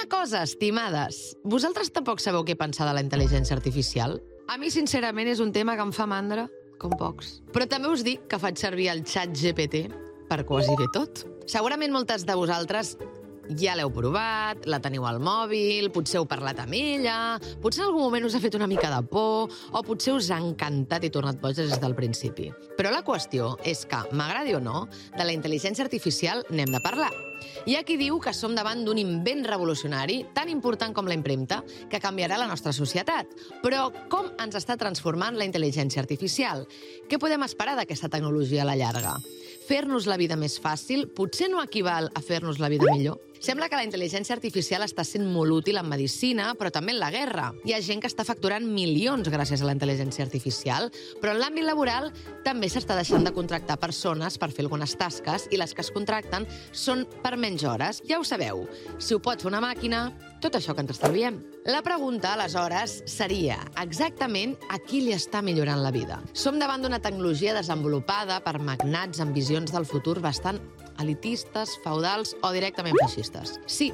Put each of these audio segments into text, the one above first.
cosa, estimades. Vosaltres tampoc sabeu què pensar de la intel·ligència artificial? A mi, sincerament, és un tema que em fa mandra, com pocs. Però també us dic que faig servir el ChatGPT per quasi bé tot. Segurament moltes de vosaltres ja l'heu provat, la teniu al mòbil, potser heu parlat amb ella, potser en algun moment us ha fet una mica de por, o potser us ha encantat i tornat boges des del principi. Però la qüestió és que, m'agradi o no, de la intel·ligència artificial n'hem de parlar. Hi ha qui diu que som davant d'un invent revolucionari tan important com la impremta que canviarà la nostra societat. Però com ens està transformant la intel·ligència artificial? Què podem esperar d'aquesta tecnologia a la llarga? Fer-nos la vida més fàcil potser no equival a fer-nos la vida millor? Sembla que la intel·ligència artificial està sent molt útil en medicina, però també en la guerra. Hi ha gent que està facturant milions gràcies a la intel·ligència artificial, però en l'àmbit laboral també s'està deixant de contractar persones per fer algunes tasques i les que es contracten són per menys hores. Ja ho sabeu, si ho pot fer una màquina, tot això que ens estalviem. La pregunta, aleshores, seria exactament a qui li està millorant la vida. Som davant d'una tecnologia desenvolupada per magnats amb visions del futur bastant elitistes, feudals o directament feixistes. Sí,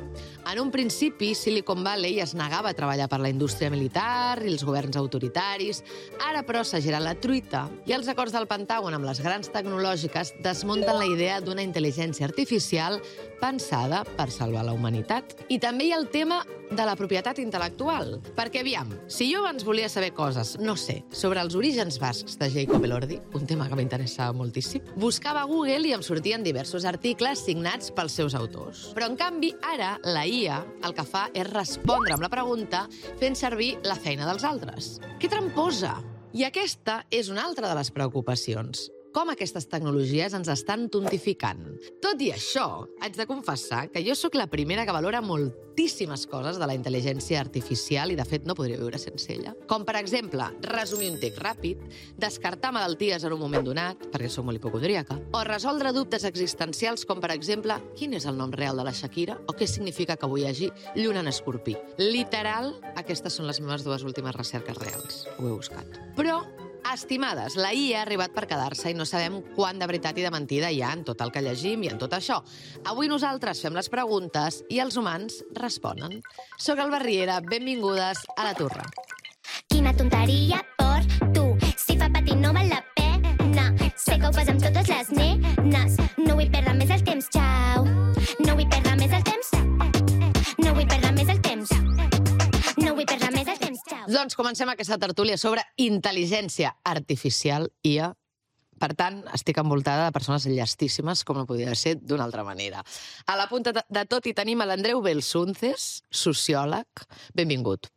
en un principi Silicon Valley es negava a treballar per la indústria militar i els governs autoritaris. Ara, però, s'ha girat la truita i els acords del Pentàgon amb les grans tecnològiques desmunten la idea d'una intel·ligència artificial pensada per salvar la humanitat. I també hi ha el tema de la propietat intel·lectual. Perquè, aviam, si jo abans volia saber coses, no sé, sobre els orígens bascs de Jacob Elordi, un tema que m'interessava moltíssim, buscava a Google i em sortien diversos articles signats pels seus autors. Però, en canvi, ara la IA el que fa és respondre amb la pregunta fent servir la feina dels altres. Que tramposa! I aquesta és una altra de les preocupacions. Com aquestes tecnologies ens estan tontificant. Tot i això, haig de confessar que jo sóc la primera que valora moltíssimes coses de la intel·ligència artificial i, de fet, no podria viure sense ella. Com, per exemple, resumir un text ràpid, descartar malalties en un moment donat, perquè soc molt hipocondríaca, o resoldre dubtes existencials com, per exemple, quin és el nom real de la Shakira o què significa que avui hi hagi lluna en escorpí. Literal, aquestes són les meves dues últimes recerques reals. Ho he buscat. Però, estimades, la IA ha arribat per quedar-se i no sabem quant de veritat i de mentida hi ha en tot el que llegim i en tot això. Avui nosaltres fem les preguntes i els humans responen. Soc Alba Riera, benvingudes a La Turra. Quina tonteria per tu, si fa patir no val la pena. Sé que ho fas amb totes les nenes, no vull perdre més el temps, xau. No vull perdre més el temps, no vull perdre més el temps, no vull perdre més el temps, xau. Doncs comencem aquesta tertúlia sobre intel·ligència artificial, IA. Per tant, estic envoltada de persones llestíssimes, com no podia ser d'una altra manera. A la punta de tot hi tenim l'Andreu Belsunces, sociòleg. Benvingut.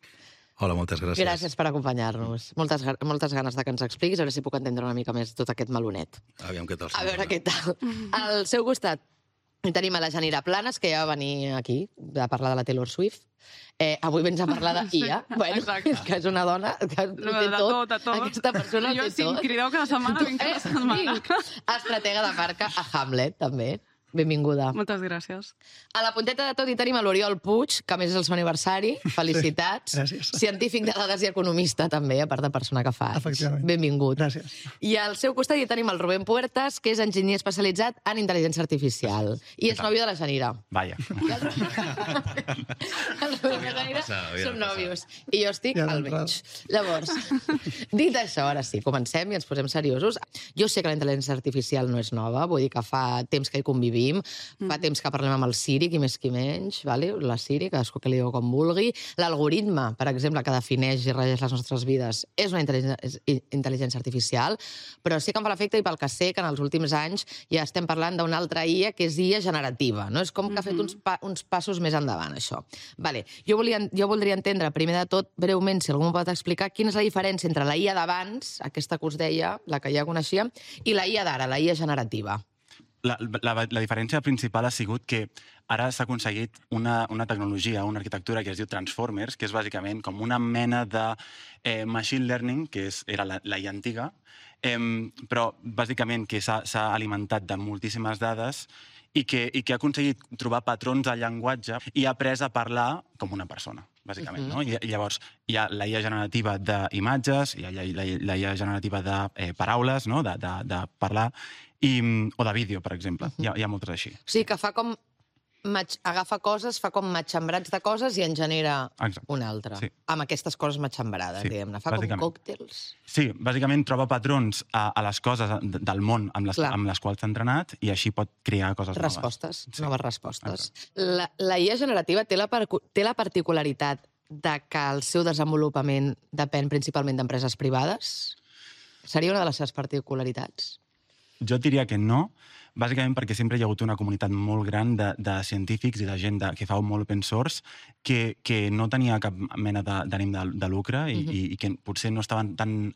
Hola, moltes gràcies. Gràcies per acompanyar-nos. Moltes ganes de que ens expliquis, a veure si puc entendre una mica més tot aquest melonet. Aviam què tal. A veure què tal. Al seu costat tenim a la Janira Planes, que ja va venir aquí a parlar de la Taylor Swift. Avui vens a parlar d'IA. Bueno, és que és una dona que ho té tot. Aquesta persona ho té tot. Jo, si em crideu cada setmana, vinc cada setmana. Estratega de marca a Hamlet, també. Benvinguda. Moltes gràcies. A la punteta de tot hi tenim l'Oriol Puig, que a més és el seu aniversari. Felicitats. Sí, gràcies. Científic de dades i economista, també, a part de persona que fa. Efectivament. Benvingut. Gràcies. I al seu costat hi tenim el Rubén Puertas, que és enginyer especialitzat en intel·ligència artificial. I és nòvio de la Janira. Vaya. El Rubén i la Janira són nòvios. I jo estic al mig. Llavors, dit això, ara sí, comencem i ens posem seriosos. Jo sé que la intel·ligència artificial no és nova, vull dir que fa temps que hi convivim, fa temps que parlem amb el Siri, qui més qui menys, vale? La Siri, cadascú que li diu com vulgui. L'algoritme, per exemple, que defineix i regeix les nostres vides, és una intel·ligència artificial, però sí que em fa l'efecte, i pel que sé, que en els últims anys ja estem parlant d'una altra IA, que és IA generativa, no? És com que ha fet uns passos més endavant, això. Vale. Jo voldria entendre, primer de tot, breument, si algú m'ho pot explicar, quina és la diferència entre la IA d'abans, aquesta que us deia, la que ja coneixíem, i la IA d'ara, la IA generativa. La diferència principal ha sigut que ara s'ha aconseguit una tecnologia, una arquitectura que es diu Transformers, que és bàsicament com una mena de machine learning, que era la IA antiga, però bàsicament que s'ha alimentat de moltíssimes dades i que ha aconseguit trobar patrons al llenguatge i ha après a parlar com una persona, bàsicament. No? I llavors hi ha la IA generativa d'imatges, hi ha la IA generativa de paraules, no? de parlar, o de vídeo, per exemple. Hi ha moltes així. O sigui, que fa com agafa coses, fa com matxembrats de coses i en genera una altra. Sí. Amb aquestes coses matxembrades, diguem-ne. Fa com còctels. Sí, bàsicament troba patrons a les coses del món amb les quals s'ha entrenat i així pot crear coses noves. Noves respostes. La IA generativa té la particularitat de que el seu desenvolupament depèn principalment d'empreses privades? Seria una de les seves particularitats? Jo diria que no, bàsicament perquè sempre hi ha hagut una comunitat molt gran de científics i de gent que fa molt open source que no tenia cap mena d'ànim de lucre i que potser no estaven tan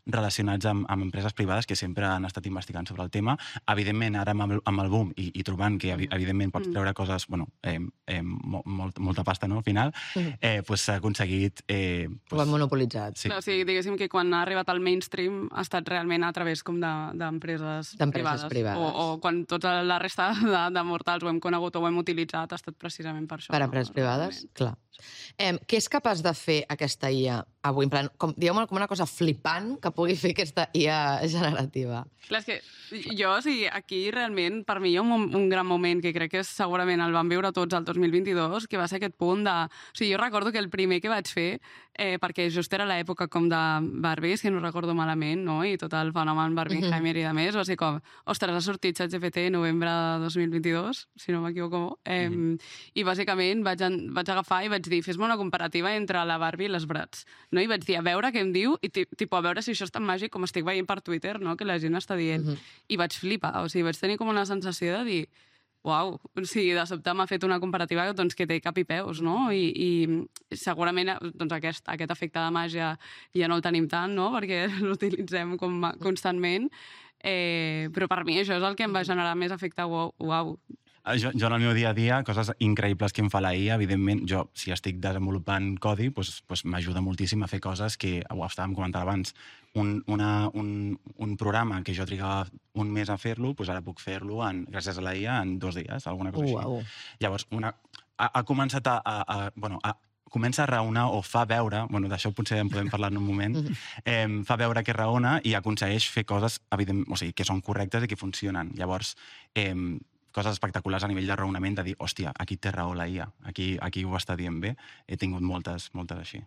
relacionats amb empreses privades que sempre han estat investigant sobre el tema. Evidentment, ara amb el boom i trobant que evidentment pots treure coses, molta pasta, no?, al final, s'ha aconseguit... Ho han monopolitzat. O sigui, diguéssim que quan ha arribat al mainstream ha estat realment a través com d'empreses privades. O quan tota la resta de mortals ho hem conegut o ho hem utilitzat ha estat precisament per això. Per empreses privades? Clar. Què és capaç de fer aquesta IA avui? Digueu-me com una cosa flipant que pugui fer aquesta IA generativa. Clar, és que jo, aquí realment, per mi hi ha un gran moment que crec que segurament el vam viure tots el 2022, que va ser aquest punt de... O sigui, jo recordo que el primer que vaig fer, perquè just era l'època com de Barbie, si no recordo malament, no?, i tot el fenomen Barbenheimer i de més, va ser com, ostres, ha sortit ChatGPT novembre de 2022, si no m'equivoco, i bàsicament vaig agafar i vaig dir, fes-me una comparativa entre la Barbie i les Bratz, no? I vaig dir, a veure què em diu, i a veure si això és tan màgic com estic veient per Twitter, no?, que la gent està dient. I vaig flipar, o sigui, vaig tenir com una sensació de dir, uau, o sigui, de sobte m'ha fet una comparativa que té cap i peus, no? I segurament aquest efecte de màgia ja no el tenim tant, no?, perquè l'utilitzem constantment, però per mi això és el que em va generar més efecte uau. Jo en el meu dia a dia, coses increïbles que em fa la IA, evidentment, jo, si estic desenvolupant codi, m'ajuda moltíssim a fer coses que, ho estàvem comentant abans, un programa que jo trigava un mes a fer-lo, ara puc fer-lo, gràcies a la IA, en 2 dies, alguna cosa així. Llavors, ha començat comença a raonar o fa veure, d'això potser en podem parlar en un moment, fa veure que raona i aconsegueix fer coses, que són correctes i que funcionen. Llavors, coses espectaculars a nivell de raonament, de dir, hòstia, aquí té raó la IA, aquí ho està dient bé. He tingut moltes així.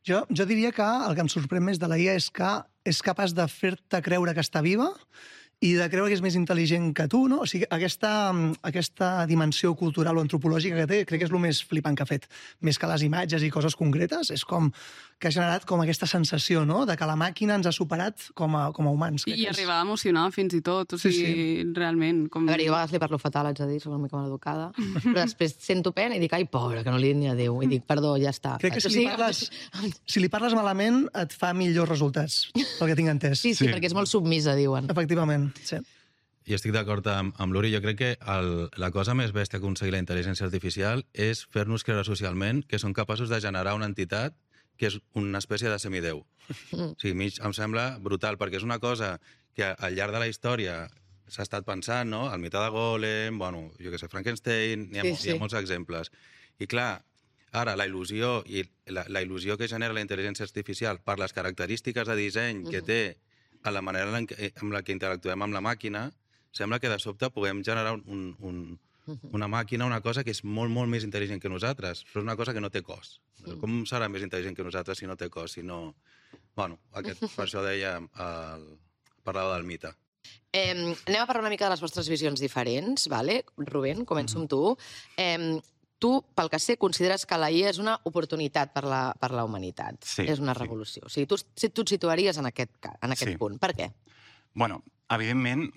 Jo diria que el que em sorprèn més de la IA és que és capaç de fer-te creure que està viva i de creure que és més intel·ligent que tu, no? O sigui, aquesta dimensió cultural o antropològica que té, crec que és el més flipant que ha fet. Més que les imatges i coses concretes, és com que ha generat com aquesta sensació, no?, de que la màquina ens ha superat com a humans. I arribar a emocionar fins i tot, o sigui, realment. A veure, jo a vegades li parlo fatal, haig de dir, soc una mica maleducada, però després sento pena i dic, ai, pobra, que no li dit ni adéu, i dic, perdó, ja està. Crec que si li parles malament et fa millors resultats, pel que tinc entès. Sí, perquè és molt submisa, diuen. Efectivament, sí. Jo estic d'acord amb l'Uri. Jo crec que la cosa més bèstia que aconseguir la intel·ligència artificial és fer-nos creure socialment que són capaços de generar una entitat que és una espècie de semidéu. O sigui, em sembla brutal, perquè és una cosa que al llarg de la història s'ha estat pensant, no?, el mite de Golem, jo què sé, Frankenstein, hi ha molts exemples. I clar, ara la il·lusió que genera la intel·ligència artificial per les característiques de disseny que té a la manera amb la que interactuem amb la màquina, sembla que de sobte puguem generar una màquina, una cosa que és molt, molt més intel·ligent que nosaltres, però és una cosa que no té cos. Com serà més intel·ligent que nosaltres si no té cos, si no... Per això deia, parlava del mite. Anem a parlar una mica de les vostres visions diferents, vale? Rubén, començo amb tu. Tu, pel que sé, consideres que la IA és una oportunitat per la humanitat. Sí. És una revolució. O sigui, tu et situaries en aquest punt. Per què? Evidentment,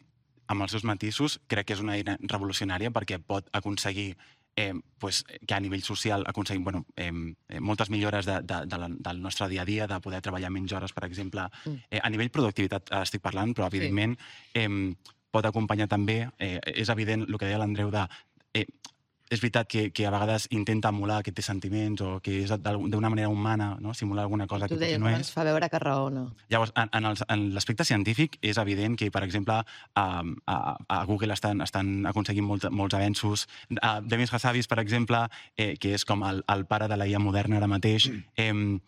amb els seus matisos, crec que és una eina revolucionària perquè pot aconseguir que a nivell social aconseguim moltes millores del nostre dia a dia, de poder treballar menys hores, per exemple. A nivell productivitat estic parlant, però evidentment pot acompanyar també, és evident el que deia l'Andreu és veritat que a vegades intenta emular que té sentiments o que és d'una manera humana, no?, simular alguna cosa que potser no és. Ens fa veure que raona. Llavors, en l'aspecte científic és evident que, per exemple, a Google estan aconseguint molts avenços. Demis Hassabis, per exemple, que és com el pare de la IA moderna ara mateix, amb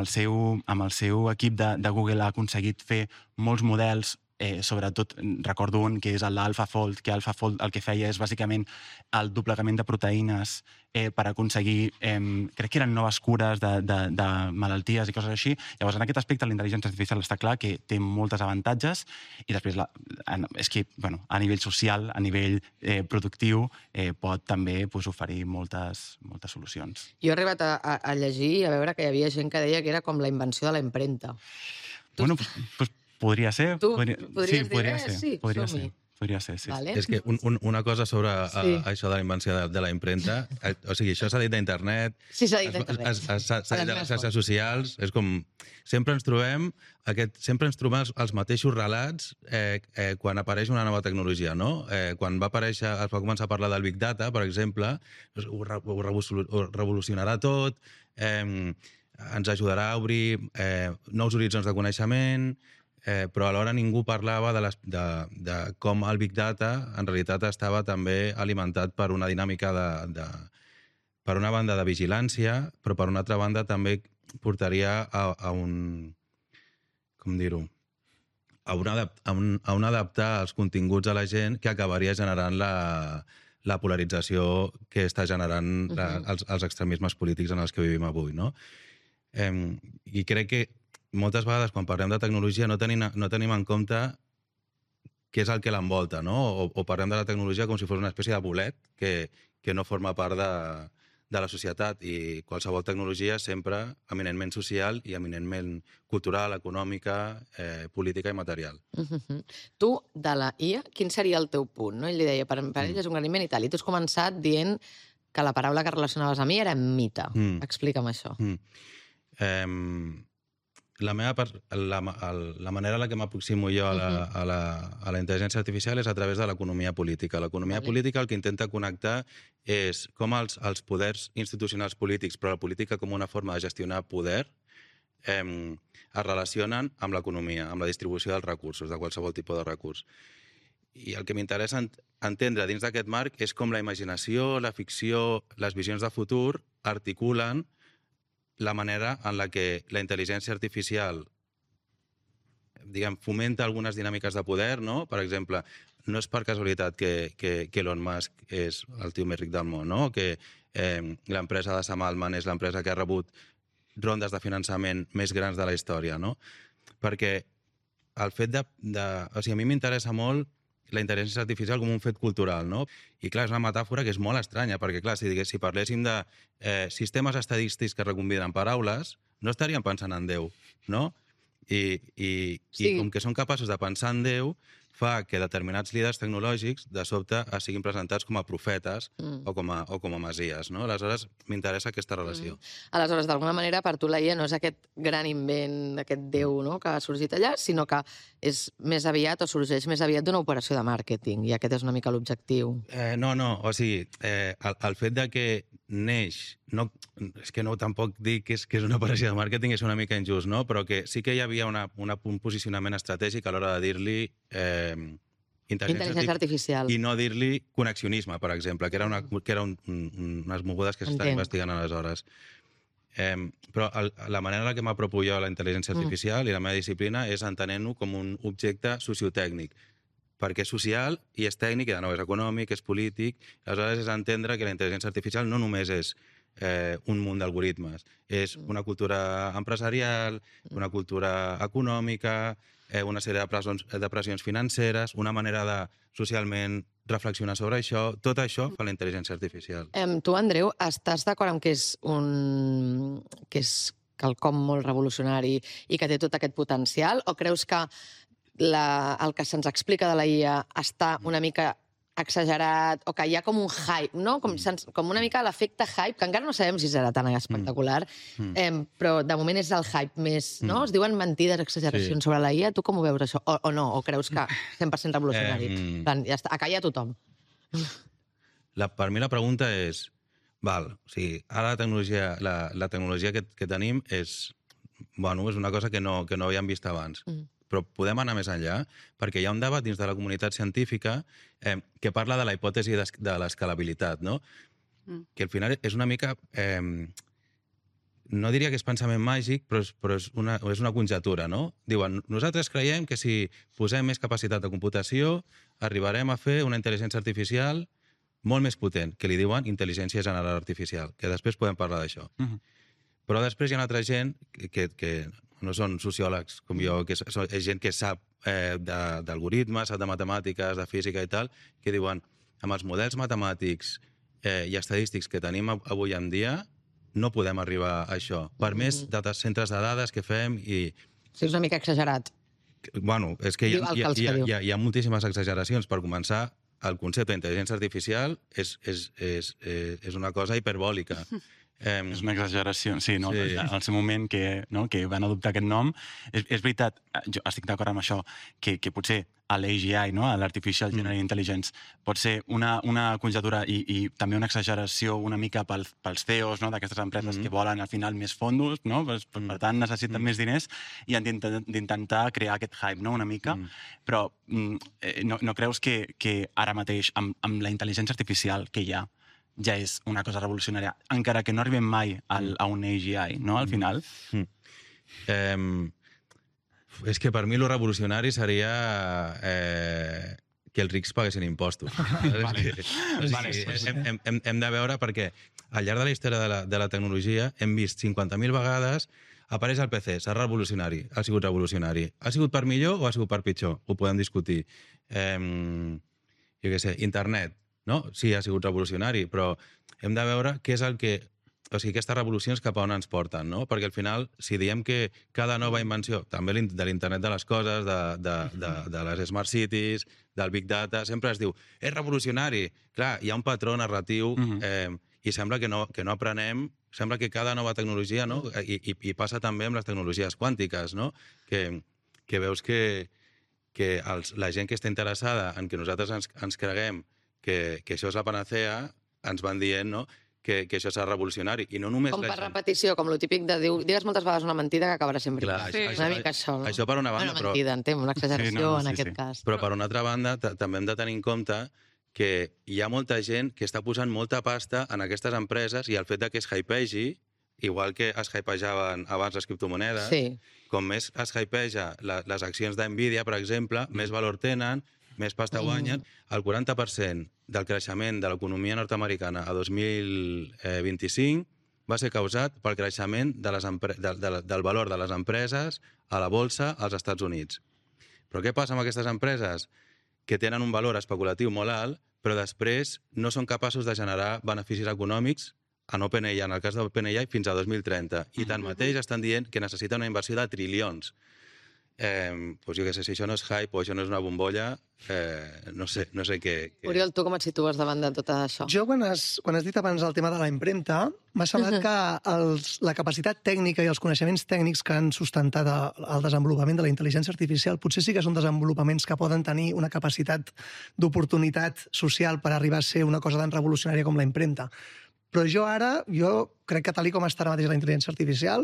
el seu equip de Google ha aconseguit fer molts models sobretot recordo un que és l'AlphaFold, que AlphaFold el que feia és bàsicament el doblegament de proteïnes per aconseguir, crec que eren noves cures de malalties i coses així. Llavors, en aquest aspecte, la intel·ligència artificial està clar que té moltes avantatges i després és que a nivell social, a nivell productiu, pot també oferir moltes solucions. Jo he arribat a llegir i a veure que hi havia gent que deia que era com la invenció de la impremta. Bueno, doncs podria ser. Tu podries dir, sí, som-hi. Podria ser, sí. Vale. És que una cosa sobre això de la invenció de la impremta, o sigui, això s'ha dit d'internet, Sí, s'ha dit d'internet. s'ha dit de les xarxes socials, és com... Sempre ens trobem els mateixos relats quan apareix una nova tecnologia, no? Quan es va començar a parlar del Big Data, per exemple, ho revolucionarà tot, ens ajudarà a obrir nous horitzons de coneixement, però alhora ningú parlava de com el Big Data en realitat estava també alimentat per una dinàmica per una banda de vigilància, però per una altra banda també portaria a un... com dir-ho? A un adaptar els continguts a la gent que acabaria generant la polarització que està generant els extremismes polítics en els que vivim avui, no? I crec que moltes vegades, quan parlem de tecnologia, no tenim en compte què és el que l'envolta, no? O parlem de la tecnologia com si fos una espècie de bolet que no forma part de la societat, i qualsevol tecnologia sempre eminentment social i eminentment cultural, econòmica, política i material. Tu, de la IA, quin seria el teu punt? No? Ell li deia, per ell és un graniment i tal, i tu has començat dient que la paraula que relacionaves amb IA era mite. Explica'm això. La manera en la que m'aproximo jo a la intel·ligència artificial és a través de l'economia política. L'economia política el que intenta connectar és com els poders institucionals polítics, però la política com una forma de gestionar poder, es relacionen amb l'economia, amb la distribució dels recursos, de qualsevol tipus de recurs. I el que m'interessa entendre dins d'aquest marc és com la imaginació, la ficció, les visions de futur articulen la manera en la que la intel·ligència artificial fomenta algunes dinàmiques de poder, no? Per exemple, no és per casualitat que Elon Musk és el tio més ric del món, no? Que l'empresa de Sam Altman és l'empresa que ha rebut rondes de finançament més grans de la història, no? Perquè el fet o sigui, a mi m'interessa molt la intel·ligència artificial com un fet cultural, no? I clar, és una metàfora que és molt estranya, perquè clar, si parléssim de sistemes estadístics que recombinen paraules, no estaríem pensant en Déu, no? I com que són capaços de pensar en Déu, fa que determinats líders tecnològics de sobte siguin presentats com a profetes o com a masies, no? Aleshores, m'interessa aquesta relació. Aleshores, d'alguna manera, per tu la IA no és aquest gran invent, aquest Déu, no?, que ha sorgit allà, sinó que és més aviat o sorgeix més aviat d'una operació de màrqueting, i aquest és una mica l'objectiu. No, o sigui, el fet de que neix, és que no tampoc dic que és una operació de màrqueting, és una mica injust, no? Però que sí que hi havia un posicionament estratègic a l'hora de dir-li intel·ligència artificial i no dir-li connexionisme, per exemple, que era unes mogudes que s'estan investigant aleshores. Però la manera en la que m'apropo jo a la intel·ligència artificial i la meva disciplina és entenent-ho com un objecte sociotècnic, perquè és social i és tècnic, i de nou és econòmic, és polític. Aleshores és entendre que la intel·ligència artificial no només és un munt d'algoritmes, és una cultura empresarial, una cultura econòmica, una sèrie de pressions financeres, una manera de socialment reflexionar sobre això. Tot això fa la intel·ligència artificial. Tu, Andreu, estàs d'acord amb que és quelcom molt revolucionari i que té tot aquest potencial, o creus que el que se'ns explica de la IA està una mica exagerat, o que hi ha com un hype, no? Com una mica l'efecte hype, que encara no sabem si serà tan espectacular, però de moment és el hype més, no? Es diuen mentides, exageracions sobre la IA. Tu com ho veus, això? O no? O creus que 100% revolucionari? Ja està, a callar tothom. Per mi la pregunta és, o sigui, ara la tecnologia que tenim és una cosa que no havíem vist abans. Però podem anar més enllà, perquè hi ha un debat dins de la comunitat científica que parla de la hipòtesi de l'escalabilitat, no? Que al final és una mica no diria que és pensament màgic, però és una conjectura, no? Diuen, nosaltres creiem que si posem més capacitat de computació arribarem a fer una intel·ligència artificial molt més potent, que li diuen intel·ligència general artificial, que després podem parlar d'això. Però després hi ha una altra gent que no són sociòlegs com jo, que és gent que sap d'algoritmes, sap de matemàtiques, de física i tal, que diuen, amb els models matemàtics i estadístics que tenim avui en dia, no podem arribar a això. Per més centres de dades que fem i... Sí, és una mica exagerat. Bueno, és que hi ha moltíssimes exageracions. Per començar, el concepte d'intel·ligència artificial és una cosa hiperbòlica. És una exageració, sí, no? Sí. Al seu moment que van adoptar aquest nom, és veritat, jo estic d'acord amb això, que potser a l'AGI, no? A l'Artificial General Intelligence, pot ser una conjectura i també una exageració una mica pels CEOs, no? D'aquestes empreses que volen al final més fondos, no? Per tant necessiten més diners i han d'intentar crear aquest hype, no? Una mica, però no creus que ara mateix amb la intel·ligència artificial que hi ha ja és una cosa revolucionària, encara que no arribem mai a un AGI, no, al final? És que per mi lo revolucionari seria que els rics paguessin impostos. Hem de veure perquè al llarg de la història de la tecnologia hem vist 50.000 vegades apareix el PC, serà revolucionari, ha sigut revolucionari. Ha sigut per millor o ha sigut per pitjor? Ho podem discutir. Jo què sé, internet, no? Sí, ha sigut revolucionari, però hem de veure què és el que... O sigui, aquestes revolucions cap a on ens porten, no? Perquè al final, si diem que cada nova invenció, també de l'internet de les coses, de les smart cities, del big data, sempre es diu, és revolucionari. Clar, hi ha un patró narratiu i sembla que no aprenem, sembla que cada nova tecnologia, no? I passa també amb les tecnologies quàntiques, no? Que veus que la gent que està interessada en que nosaltres ens creguem que això és la panacea, ens van dient, no?, que això serà revolucionari. I no només com per repetició, com lo típic de dir, digues moltes vegades una mentida que acabarà sempre. Clar, una mica això, no? Això per una banda, però... Una mentida, entenc, una exageració en aquest cas. Però per una altra banda, també hem de tenir en compte que hi ha molta gent que està posant molta pasta en aquestes empreses i el fet que es hypegi, igual que es hypejaven abans les criptomonedes, com més es hypeja les accions d'Nvidia, per exemple, més valor tenen, més pasta guanyen. El 40% del creixement de l'economia nord-americana a 2025 va ser causat pel creixement del valor de les empreses a la borsa als Estats Units. Però què passa amb aquestes empreses? Que tenen un valor especulatiu molt alt, però després no són capaços de generar beneficis econòmics en OpenAI, en el cas d'OpenAI, fins a 2030. I tanmateix estan dient que necessiten una inversió de trilions. Doncs jo què sé, si això no és hype o això no és una bombolla, no sé què... Oriol, tu com et situes davant de tot això? Jo, quan has dit abans el tema de la impremta, m'ha semblat que la capacitat tècnica i els coneixements tècnics que han sustentat el desenvolupament de la intel·ligència artificial potser sí que són desenvolupaments que poden tenir una capacitat d'oportunitat social per arribar a ser una cosa tan revolucionària com la impremta. Però jo crec que tal com està ara mateix la intel·ligència artificial,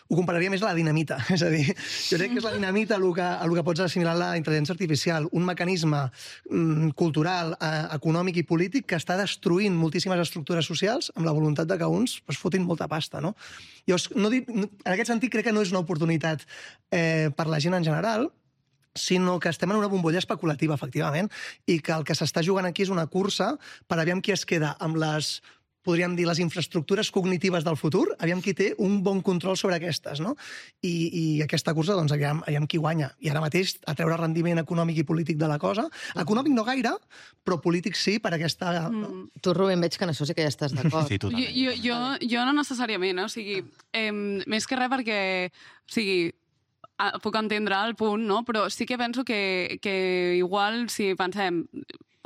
ho compararia més a la dinamita. És a dir, jo crec que és la dinamita el que pots assimilar a la intel·ligència artificial, un mecanisme cultural, econòmic i polític que està destruint moltíssimes estructures socials amb la voluntat de que uns fotin molta pasta, no? En aquest sentit, crec que no és una oportunitat per la gent en general, sinó que estem en una bombolla especulativa, efectivament, i que el que s'està jugant aquí és una cursa per aviam qui es queda amb podríem dir, les infraestructures cognitives del futur, aviam qui té un bon control sobre aquestes, no? I aquesta cursa, doncs, aviam qui guanya. I ara mateix, a treure rendiment econòmic i polític de la cosa. Econòmic no gaire, però polític sí, per aquesta... Tu, Rubén, veig que en això sí que ja estàs d'acord. Sí, totalment. Jo no necessàriament, o sigui, més que res perquè, o sigui, puc entendre el punt, no? Però sí que penso que igual, si pensem,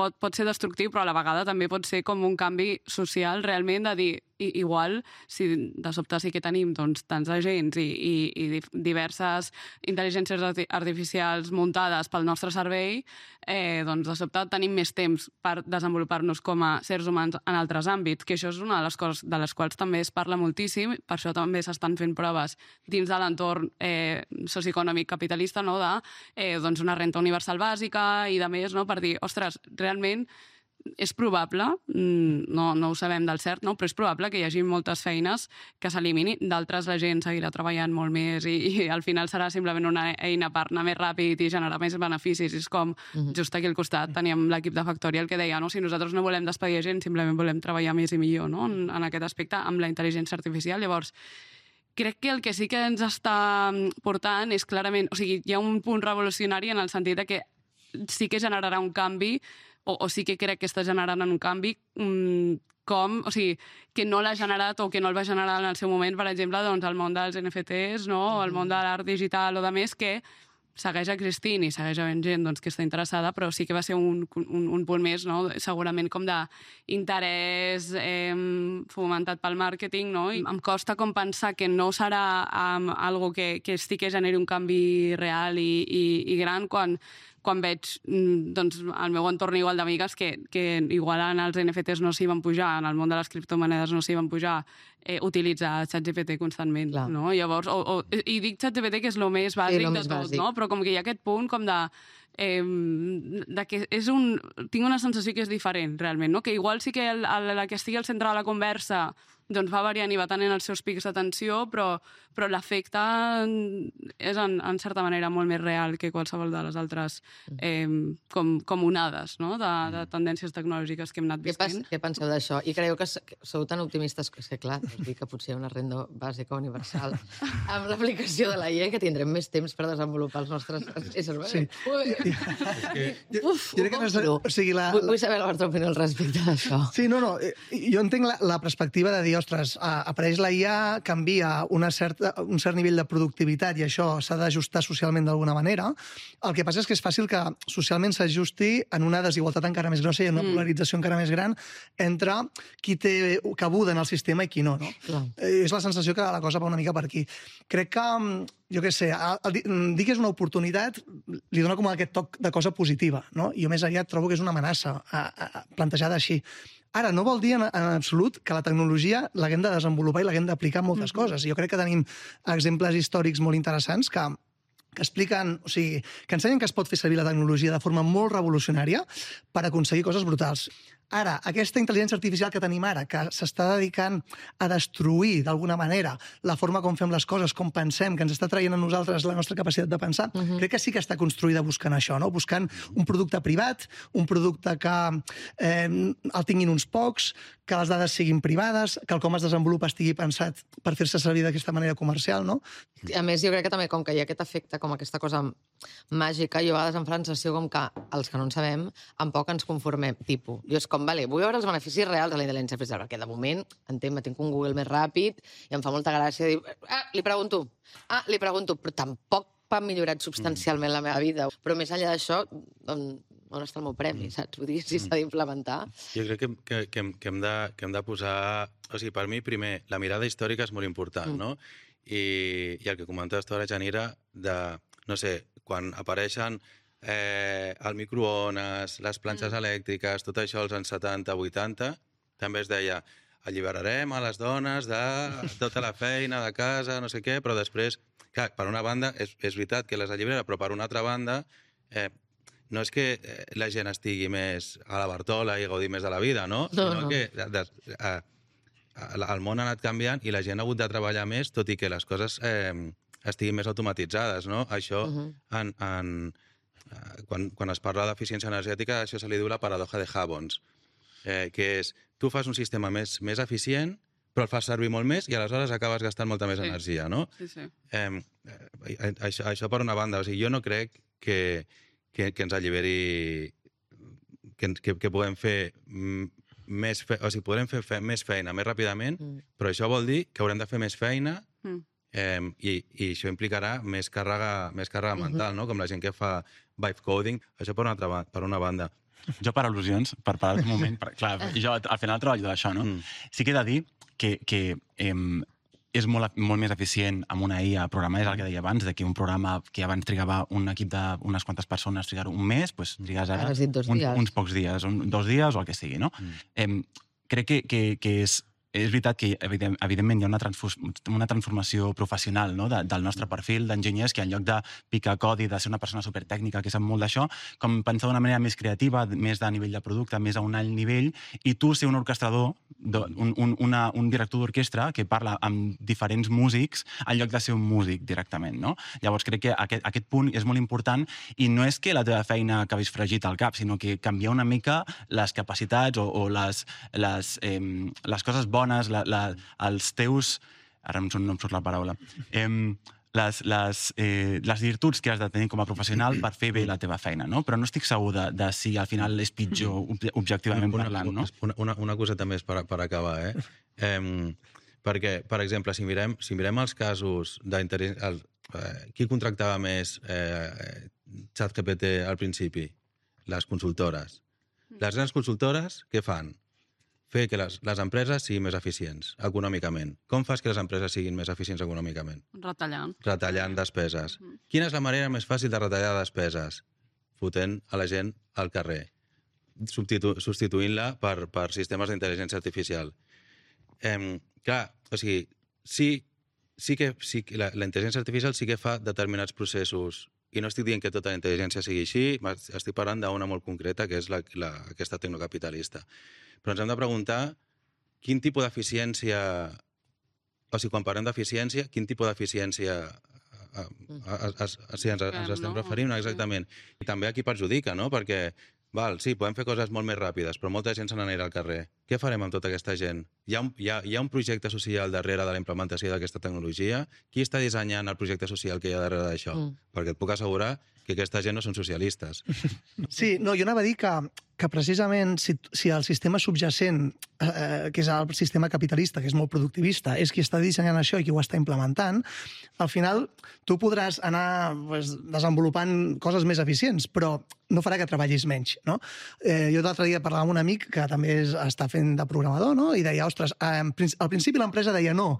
pot ser destructiu, però a la vegada també pot ser com un canvi social realment de dir, igual, si de sobte sí que tenim doncs, tants agents i diverses intel·ligències artificials muntades pel nostre servei, doncs de sobte tenim més temps per desenvolupar-nos com a sers humans en altres àmbits, que això és una de les coses de les quals també es parla moltíssim, per això també s'estan fent proves dins de l'entorn socioeconòmic capitalista, no? De doncs una renta universal bàsica i de més, no? Per dir, ostres, realment és probable, no ho sabem del cert, no? Però és probable que hi hagi moltes feines que s'elimini, d'altres la gent seguirà treballant molt més i al final serà simplement una eina per anar més ràpid i generar més beneficis. És com, just aquí al costat teníem l'equip de Factorial que deia, no? Si nosaltres no volem despedir gent, simplement volem treballar més i millor, no? En aquest aspecte, amb la intel·ligència artificial. Llavors, crec que el que sí que ens està portant és clarament... O sigui, hi ha un punt revolucionari en el sentit de que sí que generarà un canvi o sí que crec que està generant un canvi o sigui, que no l'ha generat o que no el va generar en el seu moment, per exemple, doncs el món dels NFTs, no? O el món de l'art digital o de més, que segueix existint i segueix havent gent doncs, que està interessada, però sí que va ser un punt més, no? Segurament com d'interès fomentat pel màrqueting, no? I em costa com pensar que no serà algo que sí que generi un canvi real i gran quan veig doncs, el meu entorn igual d'amigues que igual en els NFTs no s'hi van pujar, en el món de les criptomonedes no s'hi van pujar, utilitzar ChatGPT constantment. No? Llavors, i dic ChatGPT que és el més bàsic de tot, no? Però com que hi ha aquest punt com de que tinc una sensació que és diferent, realment, no? Que igual sí que la que estigui al centre de la conversa doncs va variant i va tenint els seus pics d'atenció, però l'efecte és, en certa manera, molt més real que qualsevol de les altres com onades, no? De tendències tecnològiques que hem anat vivint. Què penseu d'això? I creieu que sou tan optimistes que, clar, us dic que potser una renda bàsica universal amb l'aplicació de la IA que tindrem més temps per desenvolupar els nostres éssers. Sí. Vull saber la vostra opinió al respecte d'això. Sí, no. Jo entenc la perspectiva de dir, ostres, apareix la IA, canvia un cert nivell de productivitat i això s'ha d'ajustar socialment d'alguna manera. El que passa és que és fàcil que socialment s'ajusti en una desigualtat encara més grossa i en una polarització encara més gran entre qui té cabuda en el sistema i qui no. És la sensació que la cosa va una mica per aquí. Crec que, jo què sé, dir que és una oportunitat li dona com aquest toc de cosa positiva, no? Jo més aviat trobo que és una amenaça plantejada així. Ara, no vol dir en absolut que la tecnologia l'haguem de desenvolupar i l'haguem d'aplicar en moltes coses. Jo crec que tenim exemples històrics molt interessants que expliquen, o sigui, que ensenyen que es pot fer servir la tecnologia de forma molt revolucionària per aconseguir coses brutals. Ara, aquesta intel·ligència artificial que tenim ara, que s'està dedicant a destruir, d'alguna manera, la forma com fem les coses, com pensem, que ens està traient a nosaltres la nostra capacitat de pensar, crec que sí que està construïda buscant això, no? Buscant un producte privat, un producte que el tinguin uns pocs, que les dades siguin privades, que el com es desenvolupa estigui pensat per fer-se servir d'aquesta manera comercial, no? A més, jo crec que també, com que hi ha aquest efecte, com aquesta cosa màgica, jo a vegades em fa la sensació com que els que no en sabem, en poc ens conformem. Tipus, jo és com, vale, vull veure els beneficis reals de la intel·ligència artificial, perquè de moment, tinc un Google més ràpid i em fa molta gràcia dir, li pregunto, però tampoc ha millorat substancialment la meva vida. Però més enllà d'això, on està el meu premi, saps? Vull dir, si s'ha d'implementar. Jo crec que hem de posar... O sigui, per mi, primer, la mirada històrica és molt important, no? I el que comentaves tu ara, Janira, de, no sé, quan apareixen el microones, les planxes elèctriques, tot això als anys 70, 80, també es deia alliberarem a les dones de tota la feina de casa, no sé què, però després, clar, per una banda, és veritat que les allibera, però per una altra banda, no és que la gent estigui més a la Bartola i gaudi més de la vida, no? Sinó que el món ha anat canviant i la gent ha hagut de treballar més, tot i que les coses estiguin més automatitzades, no? Això, quan es parla d'eficiència energètica, això se li diu la paradoja de Havons, que és, tu fas un sistema més eficient, però el fas servir molt més i aleshores acabes gastant molta més energia, no? Sí. Això per una banda. O sigui, jo no crec que ens alliberi... que puguem fer més feina, o sigui, podrem fer més feina més ràpidament, però això vol dir que haurem de fer més feina i això implicarà més càrrega mental, no? Com la gent que fa vibe coding, això per una banda. Jo, per al·lusions, per parar un moment, clar, jo al final treballo d'això, no? Sí que he de dir que és molt més eficient amb una IA programar, és el que deia abans, que un programa que abans trigava un equip d'unes quantes persones trigar un mes, doncs trigues ara uns pocs dies, 2 dies o el que sigui, no? Crec que és és veritat que, evidentment, hi ha una transformació professional, no?, del nostre perfil d'enginyers, que en lloc de picar codi, de ser una persona supertècnica que sap molt d'això, com pensar d'una manera més creativa, més de nivell de producte, més a un alt nivell, i tu ser un orquestrador, un director d'orquestra que parla amb diferents músics en lloc de ser un músic directament, no? Llavors crec que aquest punt és molt important, i no és que la teva feina acabis fregit al cap, sinó que canviar una mica les capacitats o les coses bones, els teus... Ara no em surt la paraula. Les virtuts que has de tenir com a professional per fer bé la teva feina, no? Però no estic segur de si al final és pitjor objectivament parlant, no? Una coseta més per acabar, perquè, per exemple, si mirem els casos d'interès... Qui contractava més ChatGPT al principi? Les consultores. Les grans consultores, què fan? Fer que les empreses siguin més eficients econòmicament. Com fas que les empreses siguin més eficients econòmicament? Retallant. Retallant despeses. Quina és la manera més fàcil de retallar despeses? Fotent a la gent al carrer, substituint-la per sistemes d'intel·ligència artificial. Clar, o sigui, sí que la intel·ligència artificial sí que fa determinats processos, i no estic dient que tota la intel·ligència sigui així, estic parlant d'una molt concreta, que és aquesta tecnocapitalista. Però ens hem de preguntar quin tipus d'eficiència, o sigui, quan parlem d'eficiència, quin tipus d'eficiència ens estem referint exactament. I també a qui perjudica, no? Perquè, sí, podem fer coses molt més ràpides, però molta gent se n'anirà al carrer. Què farem amb tota aquesta gent? Hi ha un projecte social darrere de la implementació d'aquesta tecnologia? Qui està dissenyant el projecte social que hi ha darrere d'això? Perquè et puc assegurar que aquesta gent no són socialistes. Sí, no, jo anava a dir que precisament si el sistema subjacent, que és el sistema capitalista, que és molt productivista, és qui està dissenyant això i qui ho està implementant, al final tu podràs anar desenvolupant coses més eficients, però no farà que treballis menys, no? Jo l'altre dia parlava amb un amic que també està fent de programador, no? I deia, ostres, al principi l'empresa deia no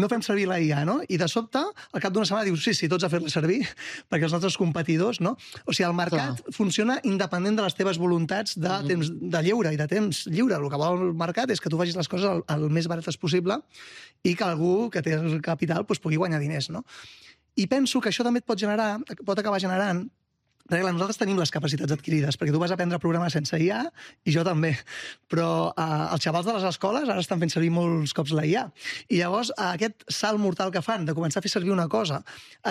fem servir la IA, no? I de sobte, al cap d'una setmana dius, sí, tots a fer-la servir, perquè els nostres competidors, no? O sigui, el mercat funciona independent de les teves voluntats de temps de lleure i de temps lliure. El que vol el mercat és que tu facis les coses el més barates possible i que algú que té el capital pugui guanyar diners, no? I penso que això també pot acabar generant. Perquè nosaltres tenim les capacitats adquirides, perquè tu vas aprendre a programar sense IA, i jo també. Però els xavals de les escoles ara estan fent servir molts cops la IA. I llavors aquest salt mortal que fan de començar a fer servir una cosa,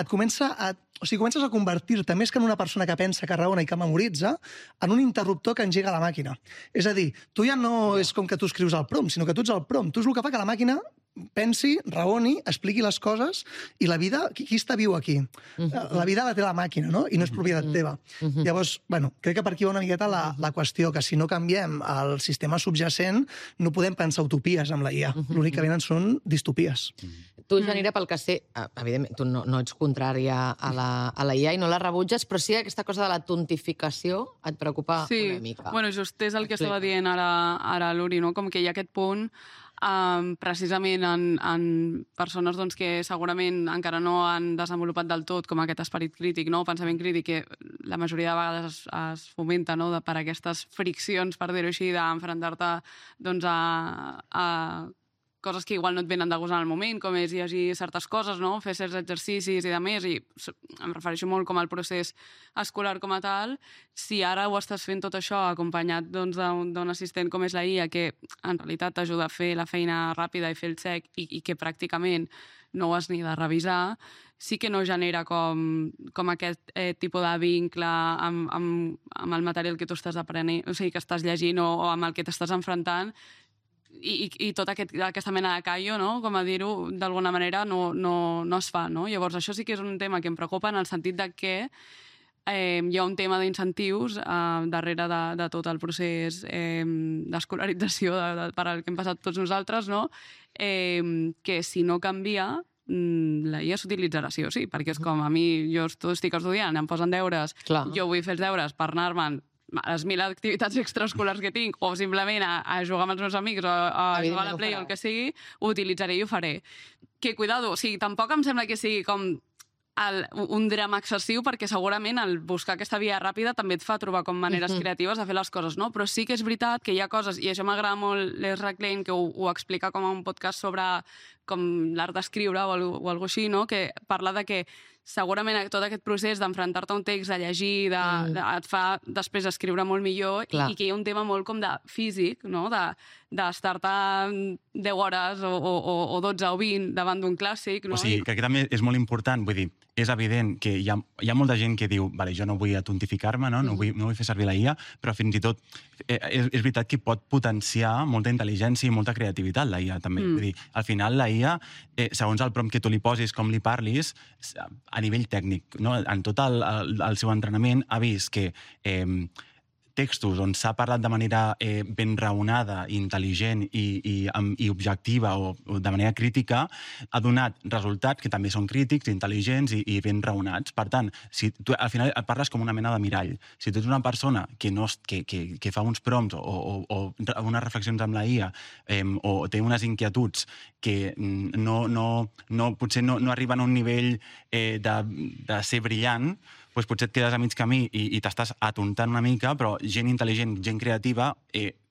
comences a convertir-te, més que en una persona que pensa, que raona i que memoritza, en un interruptor que engega la màquina. És a dir, tu ja no és com que tu escrius el prompt, sinó que tu ets el prompt. Tu és el que fa que la màquina pensi, raoni, expliqui les coses, i la vida, qui està viu aquí? La vida la té la màquina, no? I no és propietat teva. Llavors, crec que per aquí va una miqueta la qüestió, que si no canviem el sistema subjacent, no podem pensar utopies amb la IA. L'únic que venen són distopies. Tu, Janira, pel que sé, evidentment, tu no ets contrària a la IA i no la rebutges, però sí que aquesta cosa de la tontificació et preocupa una mica. Sí, bueno, just és el que estava dient ara l'Uri, no? Com que hi ha aquest punt precisament en persones doncs, que segurament encara no han desenvolupat del tot com aquest esperit crític, no? Pensament crític, que la majoria de vegades es fomenta, no? Per aquestes friccions, per dir-ho així, d'enfrontar-te doncs, a coses que igual no et venen de gust en el moment, com és llegir certes coses, no? Fer certs exercicis i demés, i em refereixo molt com al procés escolar com a tal. Si ara ho estàs fent tot això acompanyat doncs, d'un assistent com és la IA, que en realitat t'ajuda a fer la feina ràpida i fer el check, i que pràcticament no ho has ni de revisar, sí que no genera com aquest tipus de vincle amb el material que tu estàs aprenent, o sigui, que estàs llegint o amb el que t'estàs enfrontant, i tota aquesta mena de callo, no? Com a dir-ho, d'alguna manera no es fa, no? Llavors, això sí que és un tema que em preocupa en el sentit de que hi ha un tema d'incentius darrere de tot el procés d'escolarització per al que hem passat tots nosaltres, no? Que si no canvia, la IA s'utilitzarà sí o sí, perquè és com a mi, jo estic estudiant, em posen deures, jo vull fer els deures per anar-me'n a les 1000 activitats extraescolars que tinc, o simplement a jugar amb els meus amics, o a jugar a la Play o el que sigui, ho utilitzaré i ho faré. Que, cuidado, o sigui, tampoc em sembla que sigui com un drama excessiu, perquè segurament el buscar aquesta via ràpida també et fa trobar com maneres creatives de fer les coses, no? Però sí que és veritat que hi ha coses, i això m'agrada molt l'Ezra Klein, que ho explica com a un podcast sobre com l'art d'escriure o alguna així, no? Que parla de que segurament tot aquest procés d'enfrontar-te a un text, de llegir, et fa després escriure molt millor, i que hi ha un tema molt com de físic, no? D'estar-te 10 hores o 12 o 20 davant d'un clàssic. No? O sigui, crec que també és molt important, vull dir, és evident que hi ha molta gent que diu vale, jo no vull atontificar-me, no vull fer servir la IA, però fins i tot és veritat que pot potenciar molta intel·ligència i molta creativitat, la IA, també. Vull dir, al final, la IA, segons el prompt que tu li posis, com li parlis, a nivell tècnic, no? En tot el seu entrenament ha vist que textos on s'ha parlat de manera ben raonada, intel·ligent i objectiva o de manera crítica, ha donat resultats que també són crítics, intel·ligents i ben raonats. Per tant, si tu al final et parles com una mena de mirall. Si tu ets una persona que fa uns prompts o unes reflexions amb la IA o té unes inquietuds que potser no arriben a un nivell de ser brillant, doncs potser et quedes a mig camí i t'estàs atontant una mica, però gent intel·ligent, gent creativa,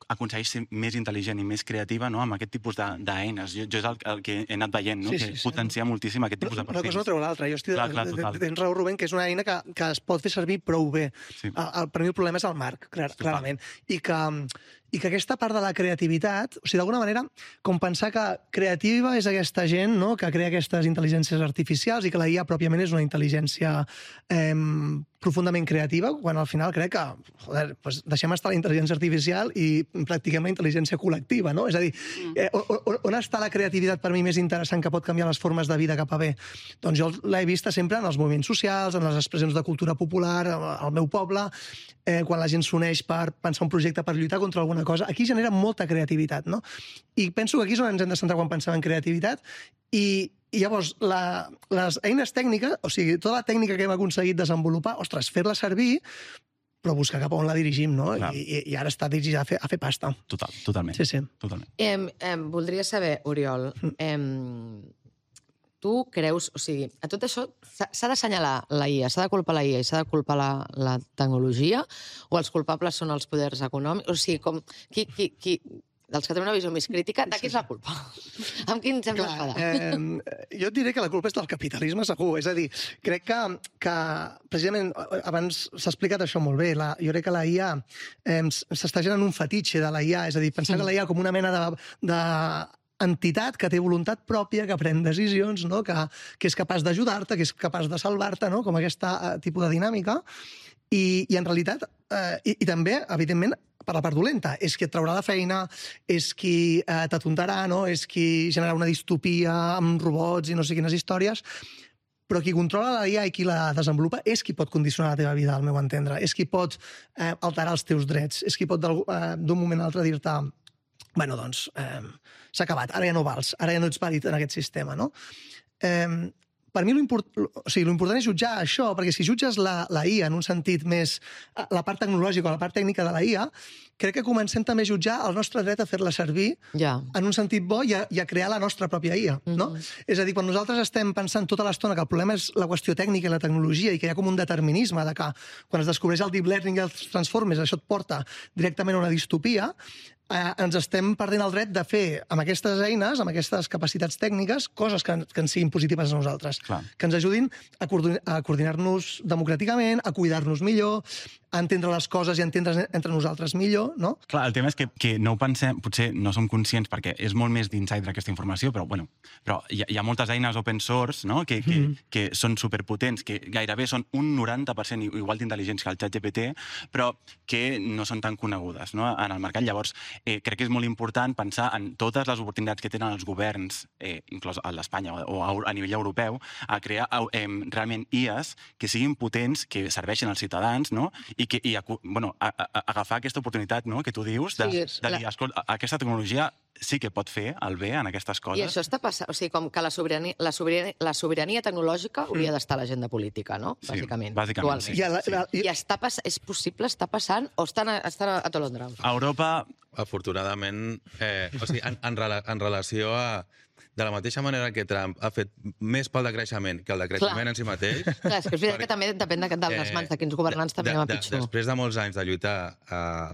aconsegueix ser més intel·ligent i més creativa, no?, amb aquest tipus d'eines. Jo és el que he anat veient, no?, que potencia moltíssim aquest tipus de perfils. Una cosa no treu l'altra. Jo tens raó, Rubén, que és una eina que es pot fer servir prou bé. Per mi el problema és el marc, clarament. I que aquesta part de la creativitat, o sigui, d'alguna manera, com pensar que creativa és aquesta gent, no?, que crea aquestes intel·ligències artificials i que la IA pròpiament és una intel·ligència profundament creativa, quan al final crec que, joder, deixem estar la intel·ligència artificial i practiquem la intel·ligència col·lectiva, no? És a dir, on està la creativitat per mi més interessant que pot canviar les formes de vida cap a bé? Doncs jo l'he vista sempre en els moviments socials, en les expressions de cultura popular, al meu poble, quan la gent s'uneix per pensar un projecte per lluitar contra alguna cosa. Aquí genera molta creativitat, no? I penso que aquí és on ens hem de centrar quan pensem en creativitat i llavors, les eines tècniques, o sigui, tota la tècnica que hem aconseguit desenvolupar, ostres, fer-la servir, però buscar cap a on la dirigim, no? I ara està dirigida a fer pasta. Totalment. Sí. Voldria saber, Oriol, tu creus, o sigui, a tot això s'ha d'assenyalar la IA, s'ha de culpar la IA i s'ha de culpar la tecnologia, o els culpables són els poders econòmics? O sigui, com dels que tenen una visió més crítica, de qui és la culpa? Amb qui ens hem d'enfadar? Jo et diré que la culpa és del capitalisme segur. És a dir, crec que precisament, abans s'ha explicat això molt bé, jo crec que la IA s'està generant un fetitxe de la IA, és a dir, pensar que la IA com una mena d'entitat que té voluntat pròpia, que pren decisions, no? Que és capaç d'ajudar-te, que és capaç de salvar-te, no? Com aquest tipus de dinàmica. I en realitat, i també, evidentment, per la part dolenta, és qui et traurà la feina, és qui t'atontarà, no? És qui generarà una distopia amb robots i no sé quines històries, però qui controla la IA i qui la desenvolupa és qui pot condicionar la teva vida, al meu entendre. És qui pot alterar els teus drets, és qui pot d'un moment a l'altre dir-te bueno, doncs, s'ha acabat, ara ja no vals, ara ja no ets vàlid en aquest sistema, no? Per mi l'important és jutjar això, perquè si jutges la IA en un sentit més la part tecnològica o la part tècnica de la IA, crec que comencem també a jutjar el nostre dret a fer-la servir en un sentit bo i a crear la nostra pròpia IA, no? És a dir, quan nosaltres estem pensant tota l'estona que el problema és la qüestió tècnica i la tecnologia i que hi ha com un determinisme de que quan es descobreix el deep learning i els transformers això et porta directament a una distopia, ens estem perdent el dret de fer amb aquestes eines, amb aquestes capacitats tècniques, coses que ens siguin positives a nosaltres, que ens ajudin a coordinar-nos democràticament, a cuidar-nos millor, a entendre les coses i a entendre entre nosaltres millor, no? Clar, el tema és que no ho pensem, potser no som conscients perquè és molt més d'insider aquesta informació, però hi ha moltes eines open source, no?, que són superpotents, que gairebé són un 90% igual d'intel·ligents que el ChatGPT, però que no són tan conegudes, no?, en el mercat. Llavors, crec que és molt important pensar en totes les oportunitats que tenen els governs, inclòs a l'Espanya o a nivell europeu, a crear realment IAs que siguin potents, que serveixin als ciutadans, no?, i agafar aquesta oportunitat, no?, que tu dius, de dir, escolta, aquesta tecnologia sí que pot fer el bé en aquestes coses. I això està passant, o sigui, com que la sobirania tecnològica hauria d'estar a l'agenda política, no? Bàsicament. Bàsicament, sí. I és possible, està passant, o estan a Tolondra? A Europa... Afortunadament, o sigui, en relació a de la mateixa manera que Trump ha fet més pel decreixement que el decreixement en si mateix... Clar, és que és veritat que també depèn de les mans, de quins governants també anem a pitjor. Després de molts anys de lluitar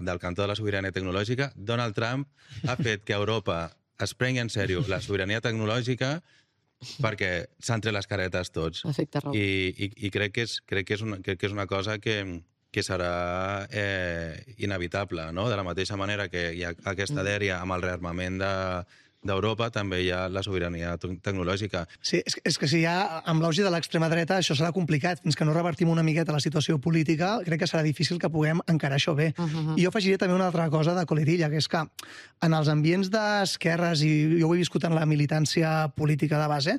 del cantó de la sobirania tecnològica, Donald Trump ha fet que Europa es prengui en sèrio la sobirania tecnològica perquè s'han tret les caretes tots. Efecte Raül. I crec que és una cosa que serà inevitable, no? De la mateixa manera que hi ha aquesta dèria amb el rearmament d'Europa, també hi ha la sobirania tecnològica. Sí, és que si ja amb l'auge de l'extrema dreta això serà complicat. Fins que no revertim una miqueta la situació política, crec que serà difícil que puguem encarar això bé. I jo afegiré també una altra cosa de coletilla, que és que en els ambients d'esquerres, i jo ho he viscut en la militància política de base,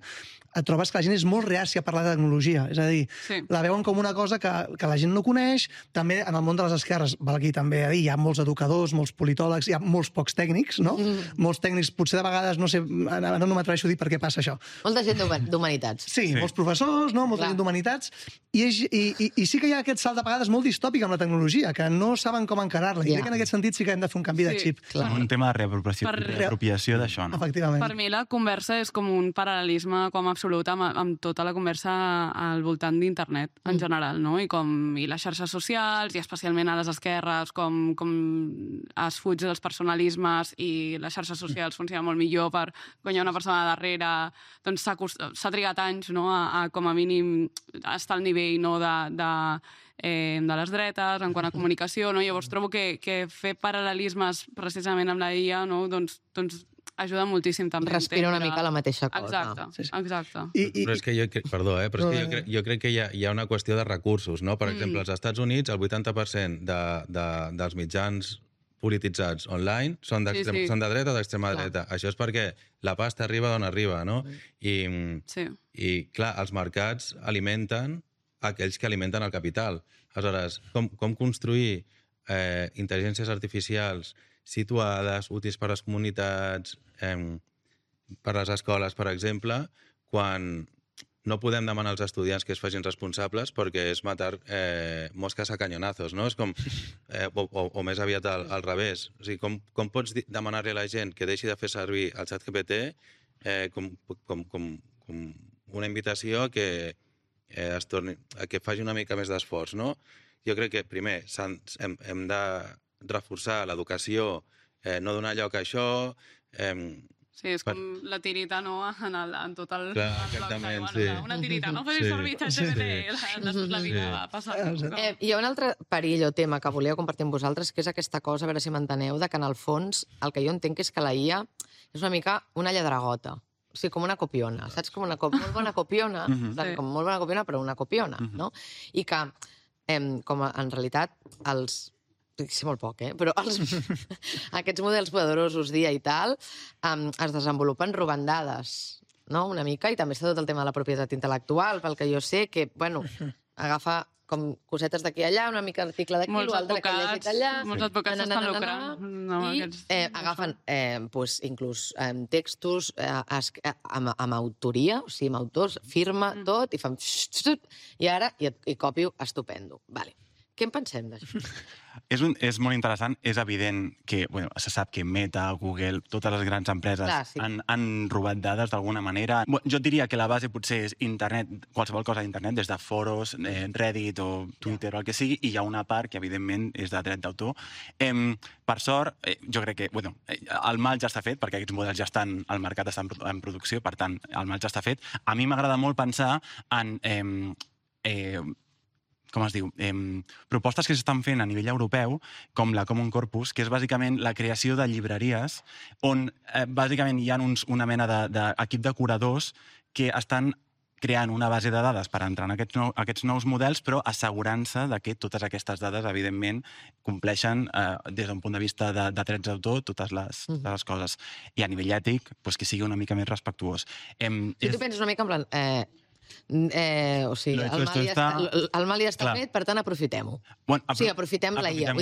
et trobes que la gent és molt reàcia a parlar de tecnologia. És a dir, la veuen com una cosa que la gent no coneix. També en el món de les esquerres, val aquí també a dir, hi ha molts educadors, molts politòlegs, hi ha molts pocs tècnics, no? Molts tècnics, potser de vegades, no sé, no m'atreveixo a dir per què passa això. Molta gent d'humanitats. Sí, molts professors, no? Molta gent d'humanitats. I sí que hi ha aquest salt de vegades molt distòpic amb la tecnologia, que no saben com encarar-la. I crec que en aquest sentit sí que hem de fer un canvi de xip. Un tema de reapropiació d'això, no? Efectivament. Per mi la conversa és com un paral·lelisme com absolut amb tota la conversa al voltant d'internet en general, no? I les xarxes socials, i especialment a les esquerres, com es fuig dels personalismes i les xarxes socials funcionen molt millor per quan hi ha una persona darrere, doncs s'ha trigat anys, no? a com a mínim estar al nivell, no? de les dretes, en quant a comunicació, no? Llavors trobo que fer paral·lelismes precisament amb la IA, no? doncs ajuda moltíssim també. Respira una mica la mateixa cosa. Exacte, exacte. Però és que jo crec que hi ha una qüestió de recursos, no? Per exemple, als Estats Units el 80% dels mitjans polititzats online són de dreta o d'extrema dreta. Això és perquè la pasta arriba d'on arriba, no? I clar, els mercats alimenten aquells que alimenten el capital. Aleshores, com construir intel·ligències artificials situades, útils per a les comunitats, per a les escoles, per exemple, quan no podem demanar als estudiants que es facin responsables perquè és matar mosques a canyonazos, no? És com... o més aviat al revés. O sigui, com pots demanar-li a la gent que deixi de fer servir el ChatGPT com una invitació a que faci una mica més d'esforç, no? Jo crec que, primer, hem de reforçar l'educació, no donar lloc a això... Sí, és com la tirita, no?, en tot el... Clar, exactament, sí. Una tirita, no facis servir ChatGPT, després la vida va passar. Hi ha un altre perill o tema que volia compartir amb vosaltres, que és aquesta cosa, a veure si m'enteneu, de que en el fons el que jo entenc és que la IA és una mica una lladregota. O sigui, com una copiona, saps? Com una molt bona copiona, com molt bona copiona, però una copiona, no? I que, com en realitat, sé molt poc, però aquests models poderosos d'IA i tal es desenvolupen robant dades, no?, una mica, i també està tot el tema de la propietat intel·lectual, pel que jo sé, que, bueno, agafa com cosetes d'aquí allà, una mica d'article d'aquí, l'altre que he llegit allà... Molts advocats s'estan lucrant. I agafen inclús textos amb autoria, o sigui, amb autors, firma, tot, i fan... I ara, i copio, estupendo. Vale. Què en pensem d'això? És molt interessant. És evident que se sap que Meta, Google, totes les grans empreses han robat dades d'alguna manera. Jo diria que la base potser és internet, qualsevol cosa d'internet, des de foros, Reddit o Twitter o el que sigui, i hi ha una part que evidentment és de dret d'autor. Per sort, jo crec que el mal ja està fet, perquè aquests models ja estan al mercat, estan en producció, per tant, el mal ja està fet. A mi m'agrada molt pensar en... com es diu, propostes que s'estan fent a nivell europeu, com la Common Corpus, que és bàsicament la creació de llibreries on bàsicament hi ha una mena d'equip de curadors que estan creant una base de dades per entrar en aquests nous models, però assegurant-se que totes aquestes dades, evidentment, compleixen, des d'un punt de vista de drets d'autor, totes les coses. I a nivell ètic, que sigui una mica més respectuós. Si tu penses una mica en plan... o sigui, el mal ja està fet, per tant, aprofitem-ho. O sigui, aprofitem la IA.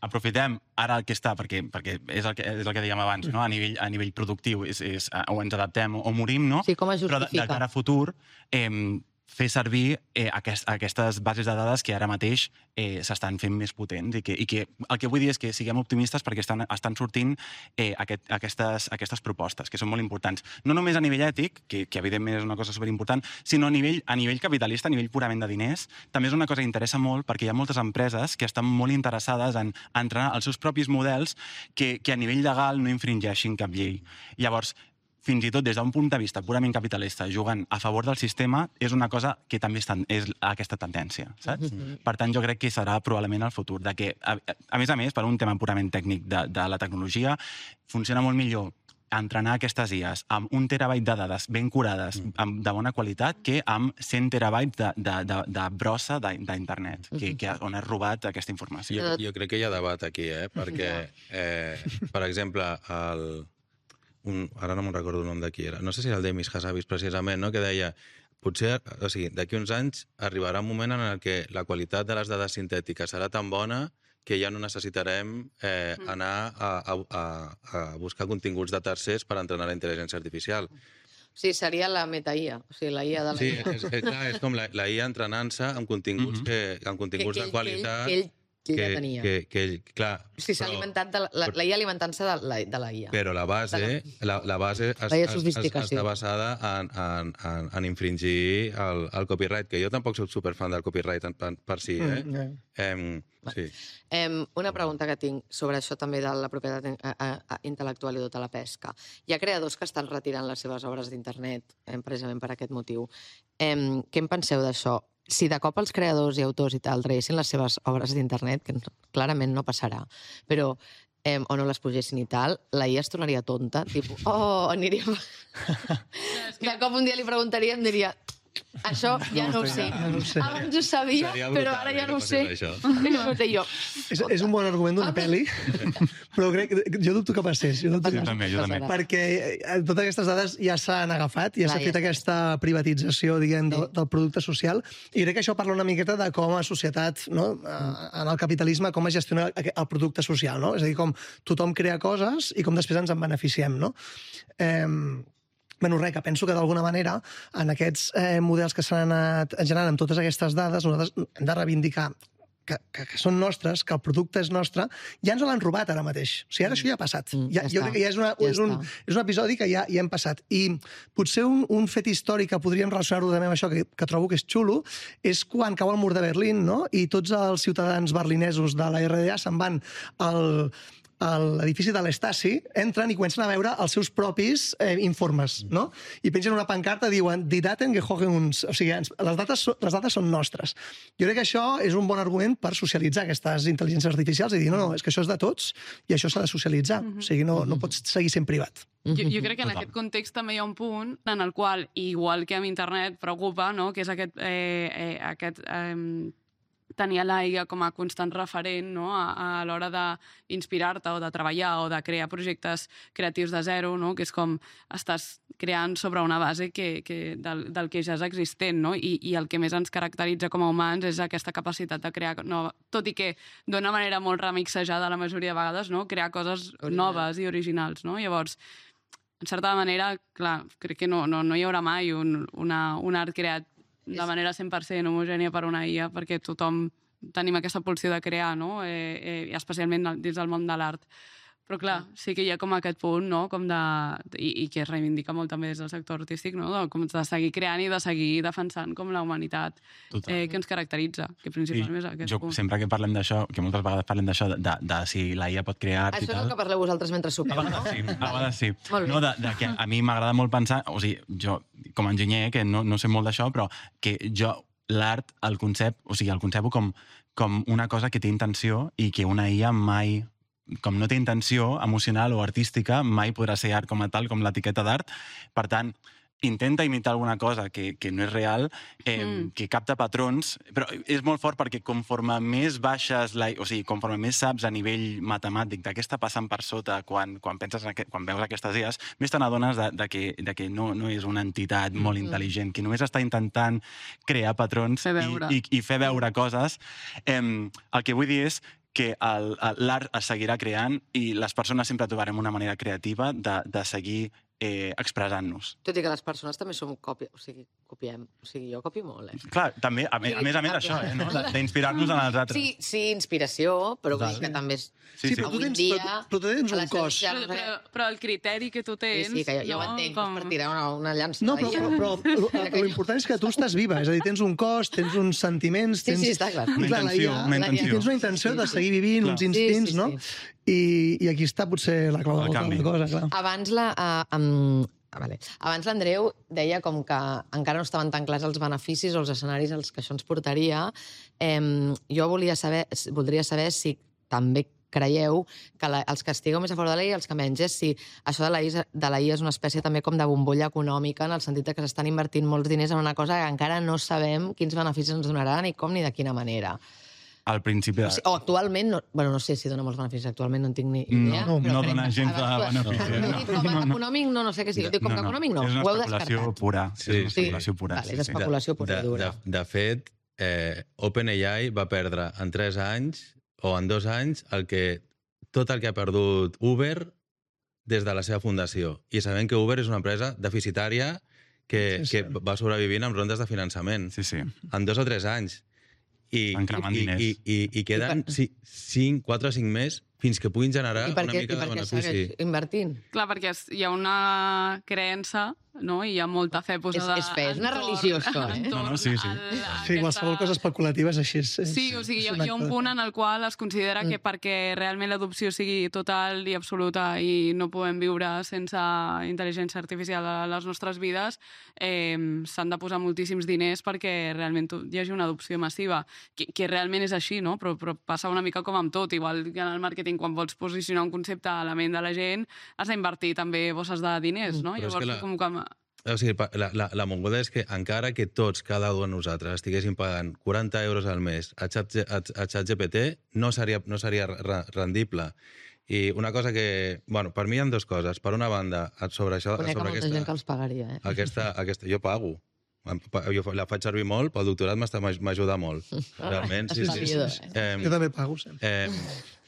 Aprofitem ara el que està, perquè és el que dèiem abans, a nivell productiu, o ens adaptem o morim, no? Sí, com es justifica. Però de cara a futur, fer servir aquestes bases de dades que ara mateix s'estan fent més potents i que el que vull dir és que siguem optimistes perquè estan sortint aquestes propostes, que són molt importants. No només a nivell ètic, que evidentment és una cosa superimportant, sinó a nivell capitalista, a nivell purament de diners. També és una cosa que interessa molt perquè hi ha moltes empreses que estan molt interessades en entrenar els seus propis models que a nivell legal no infringeixin cap llei. Llavors, fins i tot des d'un punt de vista purament capitalista, jugant a favor del sistema, és una cosa que també és aquesta tendència, saps? Per tant, jo crec que serà probablement el futur, de que, a més, per un tema purament tècnic de la tecnologia, funciona molt millor entrenar aquestes IAs amb 1 terabyte de dades ben curades, de bona qualitat, que amb 100 terabytes de brossa d'internet, on has robat aquesta informació. Jo crec que hi ha debat aquí, perquè, per exemple, ara no me'n recordo el nom de qui era, no sé si era el Demis Hassabis precisament, no? Que deia, potser, o sigui, d'aquí uns anys arribarà un moment en el què la qualitat de les dades sintètiques serà tan bona que ja no necessitarem anar a buscar continguts de tercers per entrenar la intel·ligència artificial. Sí, seria la meta-IA, o sigui, la IA de la IA. Sí, és com la IA entrenant-se amb continguts de qualitat... Que ja tenia. Clar, o sigui, s'ha alimentat la IA alimentant-se de la IA. Però la base està basada en infringir el copyright, que jo tampoc soc superfan del copyright per si, sí. Una pregunta que tinc sobre això també de la propietat intel·lectual i tota la pesca. Hi ha creadors que estan retirant les seves obres d'internet precisament per aquest motiu. Què en penseu d'això? Si de cop els creadors i autors i tal traguessin les seves obres d'internet, que clarament no passarà, però o no les pugessin i tal, la IA es tornaria tonta, tipus, aniríem... De cop un dia li preguntaria i em diria, això ja no ho sé. Abans ho sabia, però ara ja no ho sé. És un bon argument d'una pel·li, però jo dubto que passés. Jo també. Perquè totes aquestes dades ja s'han agafat, ja s'ha fet aquesta privatització, diguem, del producte social, i crec que això parla una miqueta de com a societat, en el capitalisme, com es gestiona el producte social, no? És a dir, com tothom crea coses i com després ens en beneficiem, no? Que penso que d'alguna manera en aquests models que s'han anat generant amb totes aquestes dades nosaltres hem de reivindicar que són nostres, que el producte és nostre, ja ens l'han robat ara mateix. O sigui, ara això ja ha passat. Jo crec que ja és un episodi que ja hem passat. I potser un fet històric que podríem relacionar-ho també amb això, que trobo que és xulo, és quan cau el mur de Berlín, no? I tots els ciutadans berlinesos de la RDA se'n van a l'edifici de l'Stasi, entren i comencen a veure els seus propis informes, no? I pengen una pancarta, diuen Die Daten gehören uns... O sigui, les dades són nostres. Jo crec que això és un bon argument per socialitzar aquestes intel·ligències artificials i dir, no, és que això és de tots i això s'ha de socialitzar. O sigui, no pots seguir sent privat. Jo crec que en aquest context també hi ha un punt en el qual, igual que amb internet, preocupa, no?, que és aquest tenir la IA com a constant referent, no?, a l'hora d'inspirar-te o de treballar o de crear projectes creatius de zero, no?, que és com estàs creant sobre una base del que ja és existent, no? I el que més ens caracteritza com a humans és aquesta capacitat de crear, tot i que d'una manera molt remixejada la majoria de vegades, no?, crear coses noves i originals, no? Llavors, en certa manera, clar, crec que no hi haurà mai un art creat de manera 100% homogènia per una IA, perquè tothom tenim aquesta pulsió de crear, no? Especialment dins del món de l'art. Però clar, sí que hi ha com aquest punt, no?, com i que es reivindica molt també des del sector artístic, no?, com de seguir creant i de seguir defensant com la humanitat que ens caracteritza, que principalment és aquest punt. Sempre que parlem d'això, que moltes vegades parlem d'això, de si la IA pot crear art i tal... Això és el que parleu vosaltres mentre sopeu, no? A vegades sí. No, que a mi m'agrada molt pensar, o sigui, jo com a enginyer, que no sé molt d'això, però que jo l'art, el concebo com una cosa que té intenció i que una IA mai... com no té intenció emocional o artística, mai podrà ser art com a tal, com l'etiqueta d'art. Per tant, intenta imitar alguna cosa que no és real, que capta patrons, però és molt fort perquè conforme més baixes, o sigui, conforme més saps a nivell matemàtic de què està passant per sota quan veus aquestes idees, més te n'adones de que no és una entitat molt intel·ligent, que només està intentant crear patrons i fer veure coses. El que vull dir és que l'art es seguirà creant i les persones sempre trobarem una manera creativa de seguir expressant-nos. Tot i que les persones també som còpia, o sigui, copiem. O sigui, jo copio molt, Clar, també, a més això, no? D'inspirar-nos en els altres. Sí, inspiració, però vull dir que també és... Sí, però tu tens un cos. Però el criteri que tu tens... Sí, que jo ho entenc, és per tirar una llança. No, però l'important és que tu estàs viva, és a dir, tens un cos, tens uns sentiments, tens... Sí, està clar. Una intenció. Tens una intenció de seguir vivint, uns instints, no? I aquí està potser la clau de la cosa, clar. Abans l'Andreu deia com que encara no estaven tan clars els beneficis o els escenaris als que això ens portaria. Jo voldria saber si també creieu que els que estigueu més a favor de la IA i els que menys, si això de la IA és una espècie també com de bombolla econòmica, en el sentit que s'estan invertint molts diners en una cosa que encara no sabem quins beneficis ens donarà, ni com ni de quina manera. Al principi de... O actualment, no sé si dona molts beneficis, actualment no en tinc ni idea. No dona gens de beneficis. Econòmic no sé què sigui. Com que econòmic no, ho heu descartat. És una especulació pura. És especulació pura i dura. De fet, OpenAI va perdre en 3 anys o en 2 anys tot el que ha perdut Uber des de la seva fundació. I sabem que Uber és una empresa deficitària que va sobrevivint amb rondes de finançament. En 2 o 3 anys. I queden 4 o 5 més fins que puguin generar una mica de benefici. I per què segueix invertint? Clar, perquè hi ha una creença, no? I hi ha molta fe posada... És fe, és una religió, això, Sí, qualsevol cosa especulativa és així. Sí, o sigui, hi ha un punt en el qual es considera que perquè realment l'adopció sigui total i absoluta i no podem viure sense intel·ligència artificial a les nostres vides, s'han de posar moltíssims diners perquè realment hi hagi una adopció massiva, que realment és així, no? Però passa una mica com amb tot, igual que en el màrqueting, quan vols posicionar un concepte a la ment de la gent, has d'invertir també bosses de diners, no? Llavors, com que... O sigui, la mongoda és que encara que tots, cada un de nosaltres, estiguéssim pagant 40 euros al mes a ChatGPT, no seria rendible. I una cosa que... Bueno, per mi hi ha 2 coses. Per una banda, sobre això... Conec molta gent que els pagaria, Jo pago. Jo la faig servir molt, pel doctorat m'ajuda molt. Realment, sí. Jo també pago, sempre.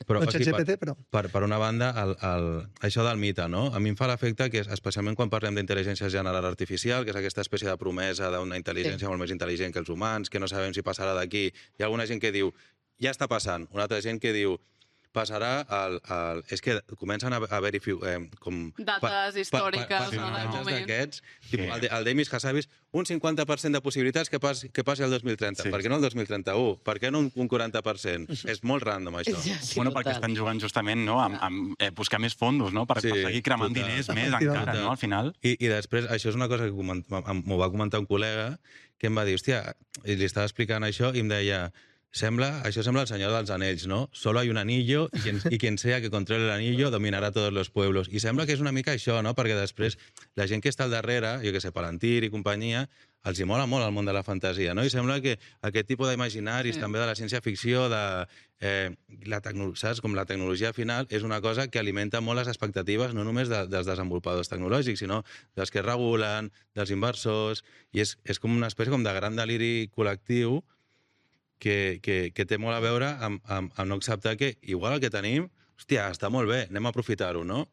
Però, ChatGPT, però... Per una banda, això del mite, no? A mi em fa l'efecte que, especialment quan parlem d'intel·ligència general artificial, que és aquesta espècie de promesa d'una intel·ligència molt més intel·ligent que els humans, que no sabem si passarà d'aquí. Hi ha alguna gent que diu, ja està passant. Una altra gent que diu, passarà és que comencen a haver-hi dates històriques en el moment. D'aquests, el Demis Hassabis, un 50% de possibilitats que passi el 2030. Per què no el 2031? Per què no un 40%? És molt random, això. Perquè estan jugant justament amb buscar més fondos, per seguir cremant diners més encara, al final. I després, això és una cosa que m'ho va comentar un col·lega, que em va dir, hòstia, i li estava explicant això i em deia, això sembla el Senyor dels Anells, ¿no? Solo hay un anillo y quien sea que controle el anillo dominará todos los pueblos. I sembla que és una mica això, no? Perquè després la gent que està al darrere, jo què sé, Palantir i companyia, els hi mola molt el món de la fantasia, no? I sembla que aquest tipus d'imaginaris, també de la ciència-ficció, saps? Com la tecnologia final, és una cosa que alimenta molt les expectatives, no només dels desenvolupadors tecnològics, sinó dels que regulen, dels inversors, i és com una espècie de gran deliri col·lectiu que té molt a veure amb no acceptar que igual el que tenim, hòstia, està molt bé, anem a aprofitar-ho, no?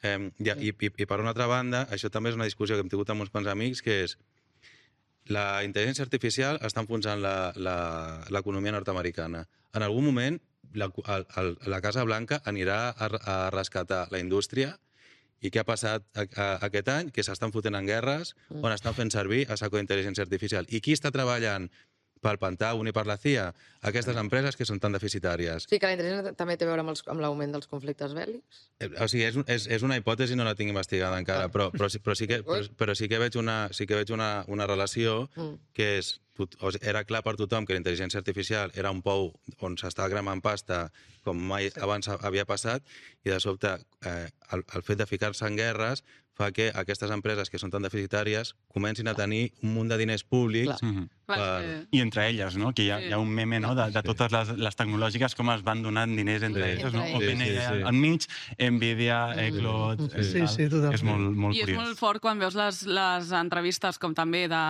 I per una altra banda, això també és una discussió que hem tingut amb uns quants amics, que és la intel·ligència artificial està enfonsant l'economia nord-americana. En algun moment, la Casa Blanca anirà a rescatar la indústria. I què ha passat aquest any? Que s'estan fotent en guerres on estan fent servir a saco d'intel·ligència artificial. I qui està treballant pel Pentàgon i per la CIA, aquestes empreses que són tan deficitàries. Sí, que la intel·ligència també té a veure amb l'augment dels conflictes bèl·lics? O sigui, és una hipòtesi, no la tinc investigada encara, però sí que veig una relació que és... Era clar per tothom que la intel·ligència artificial era un pou on s'estava cremant pasta com mai abans havia passat, i de sobte el fet de ficar-se en guerres fa que aquestes empreses que són tan deficitàries comencin a tenir un munt de diners públics. I entre elles, no? Que hi ha un meme de totes les tecnològiques com es van donant diners entre elles, no? OpenAI al mig, Nvidia, Claude... Sí, totalment. És molt curiós. I és molt fort quan veus les entrevistes, com també de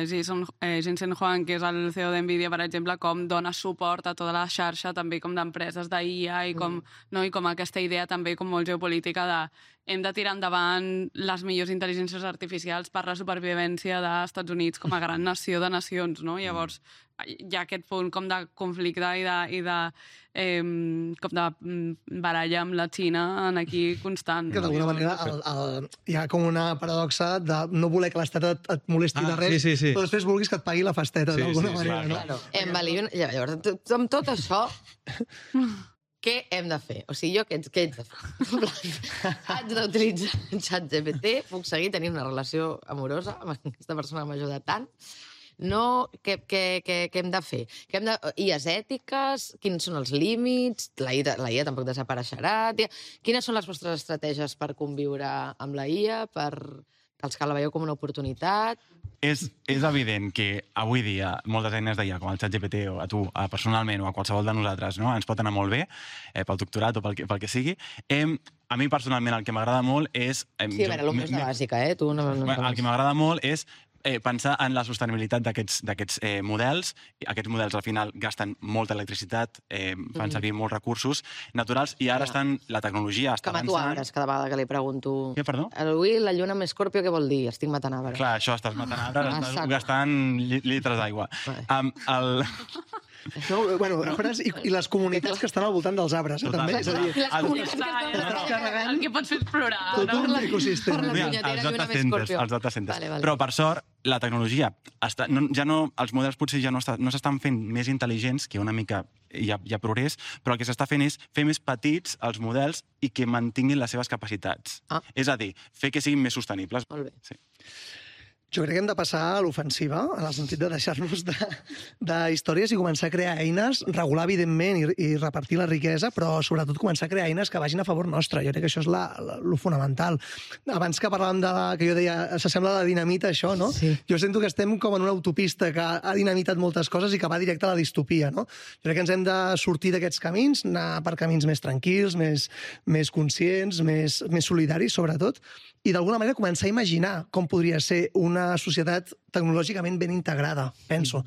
Jensen Huang, que és el CEO d'Nvidia, per exemple, com dona suport a tota la xarxa, també com d'empreses d'IA, i com aquesta idea també com molt geopolítica de hem de tirar endavant les millors intel·ligències artificials per la supervivència dels Estats Units com a gran nació de nacions, no? Llavors, hi ha aquest punt com de conflicte i de com de baralla amb la Xina en aquí constant. Que d'alguna manera hi ha com una paradoxa de no voler que l'Estat et molesti de res, però després vulguis que et pagui la festeta, d'alguna manera. Claro. Llavors, amb tot això, què hem de fer? O sigui, jo què haig de fer? Haig d'utilitzar ChatGPT, puc seguir tenint una relació amorosa amb aquesta persona que m'ha ajudat tant. No, què hem de fer? IAs ètiques? Quins són els límits? La IA tampoc desapareixerà. Quines són les vostres estratègies per conviure amb la IA, per els que la veieu com una oportunitat? És evident que avui dia moltes eines d'IA, com el ChatGPT o a tu personalment o a qualsevol de nosaltres, no? Ens pot anar molt bé pel doctorat o pel que sigui. A mi personalment el que m'agrada molt és... Sí, a veure, l'ombra és la bàsica, eh? El que m'agrada molt és pensar en la sostenibilitat d'aquests models. Aquests models al final gasten molta electricitat, fan servir molts recursos naturals i ara la tecnologia està avançant... Com a tu arbres, cada vegada que li pregunto... Què, perdó? Avui la lluna amb Escorpio, què vol dir? Estic matant arbres. Clar, això, estàs matant arbres, estàs gastant litres d'aigua. Bueno, arbres i les comunitats que estan al voltant dels arbres, també. És a dir, el que pots fer és plorar. Tot un ecosistema. Els data centers. Però, per sort, la tecnologia, els models potser ja no s'estan fent més intel·ligents, que una mica hi ha progrés, però el que s'està fent és fer més petits els models i que mantinguin les seves capacitats. És a dir, fer que siguin més sostenibles. Molt bé. Sí. Jo crec que hem de passar a l'ofensiva, en el sentit de deixar-nos de històries i començar a crear eines, regular, evidentment, i repartir la riquesa, però sobretot començar a crear eines que vagin a favor nostre. Jo crec que això és lo fonamental. Abans que parlàvem que jo deia, s'assembla a la dinamita, això, no? Sí. Jo sento que estem com en una autopista que ha dinamitat moltes coses i que va directe a la distopia, no? Jo crec que ens hem de sortir d'aquests camins, anar per camins més tranquils, més conscients, més solidaris, sobretot, i d'alguna manera començar a imaginar com podria ser una societat tecnològicament ben integrada, penso.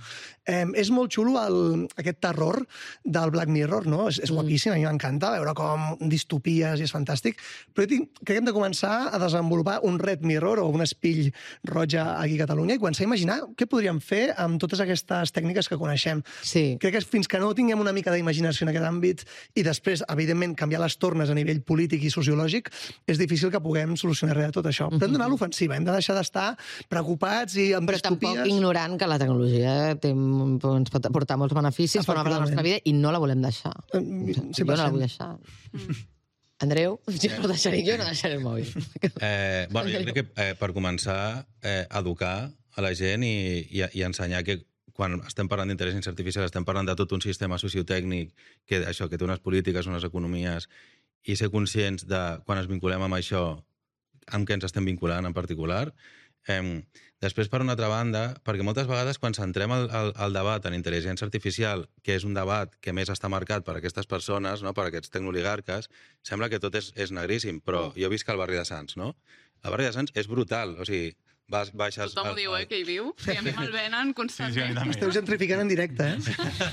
És molt xulo aquest terror del Black Mirror, no? És guapíssim, a mi m'encanta veure com distopies i és fantàstic, però crec que hem de començar a desenvolupar un Red Mirror o un espill roja aquí a Catalunya i començar a imaginar què podríem fer amb totes aquestes tècniques que coneixem. Sí. Crec que fins que no tinguem una mica d'imaginació en aquest àmbit i després, evidentment, canviar les tornes a nivell polític i sociològic, és difícil que puguem solucionar res de tot això. Però hem d'anar a l'ofensiva, hem de deixar d'estar preocupats i amb però tampoc ignorant que la tecnologia ens pot aportar molts beneficis, forma part de la nostra vida i no la volem deixar. Jo no la vull deixar. Andreu, jo no deixaré el mòbil. Bueno, jo crec que per començar, educar a la gent i ensenyar que quan estem parlant d'intel·ligència artificial estem parlant de tot un sistema sociotècnic que té unes polítiques, unes economies, i ser conscients de quan ens vinculem amb això, amb què ens estem vinculant en particular. Després, per una altra banda, perquè moltes vegades quan centrem el debat en intel·ligència artificial, que és un debat que més està marcat per aquestes persones, no? Per aquests tecnooligarques, sembla que tot és negríssim, però jo visc al barri de Sants, no? El barri de Sants és brutal, o sigui, baixes... Tothom ho diu, que hi viu, i a mi me'l venen constantment. Esteu gentrificant en directe,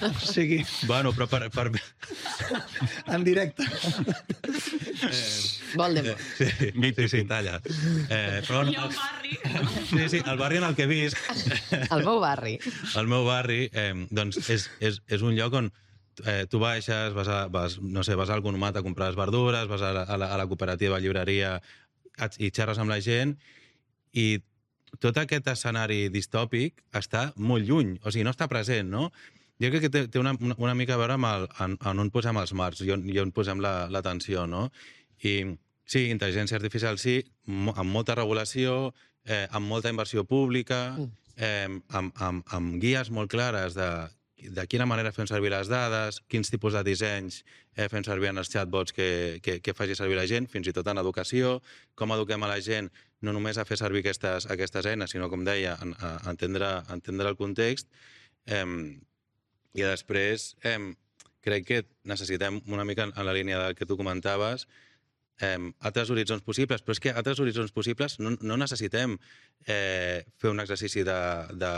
O sigui... Bueno, però per... En directe. Voldemort. Sí, talla. Però I el barri. Sí, el barri en el que visc... El meu barri. El meu barri, doncs, és un lloc on tu baixes, vas al Economat a comprar les verdures, vas a la cooperativa, llibreria, i xerres amb la gent, i tot aquest escenari distòpic està molt lluny, o sigui, no està present, no? Jo crec que té una mica a veure amb on posem els marcs i on posem l'atenció, no? I sí, intel·ligència artificial sí, amb molta regulació, amb molta inversió pública, amb guies molt clares de quina manera fem servir les dades, quins tipus de dissenys fem servir en els chatbots que faci servir la gent, fins i tot en educació, com eduquem a la gent no només a fer servir aquestes eines, sinó, com deia, a entendre el context. I després crec que necessitem, una mica en la línia del que tu comentaves, altres horitzons possibles, però és que altres horitzons possibles no necessitem fer un exercici de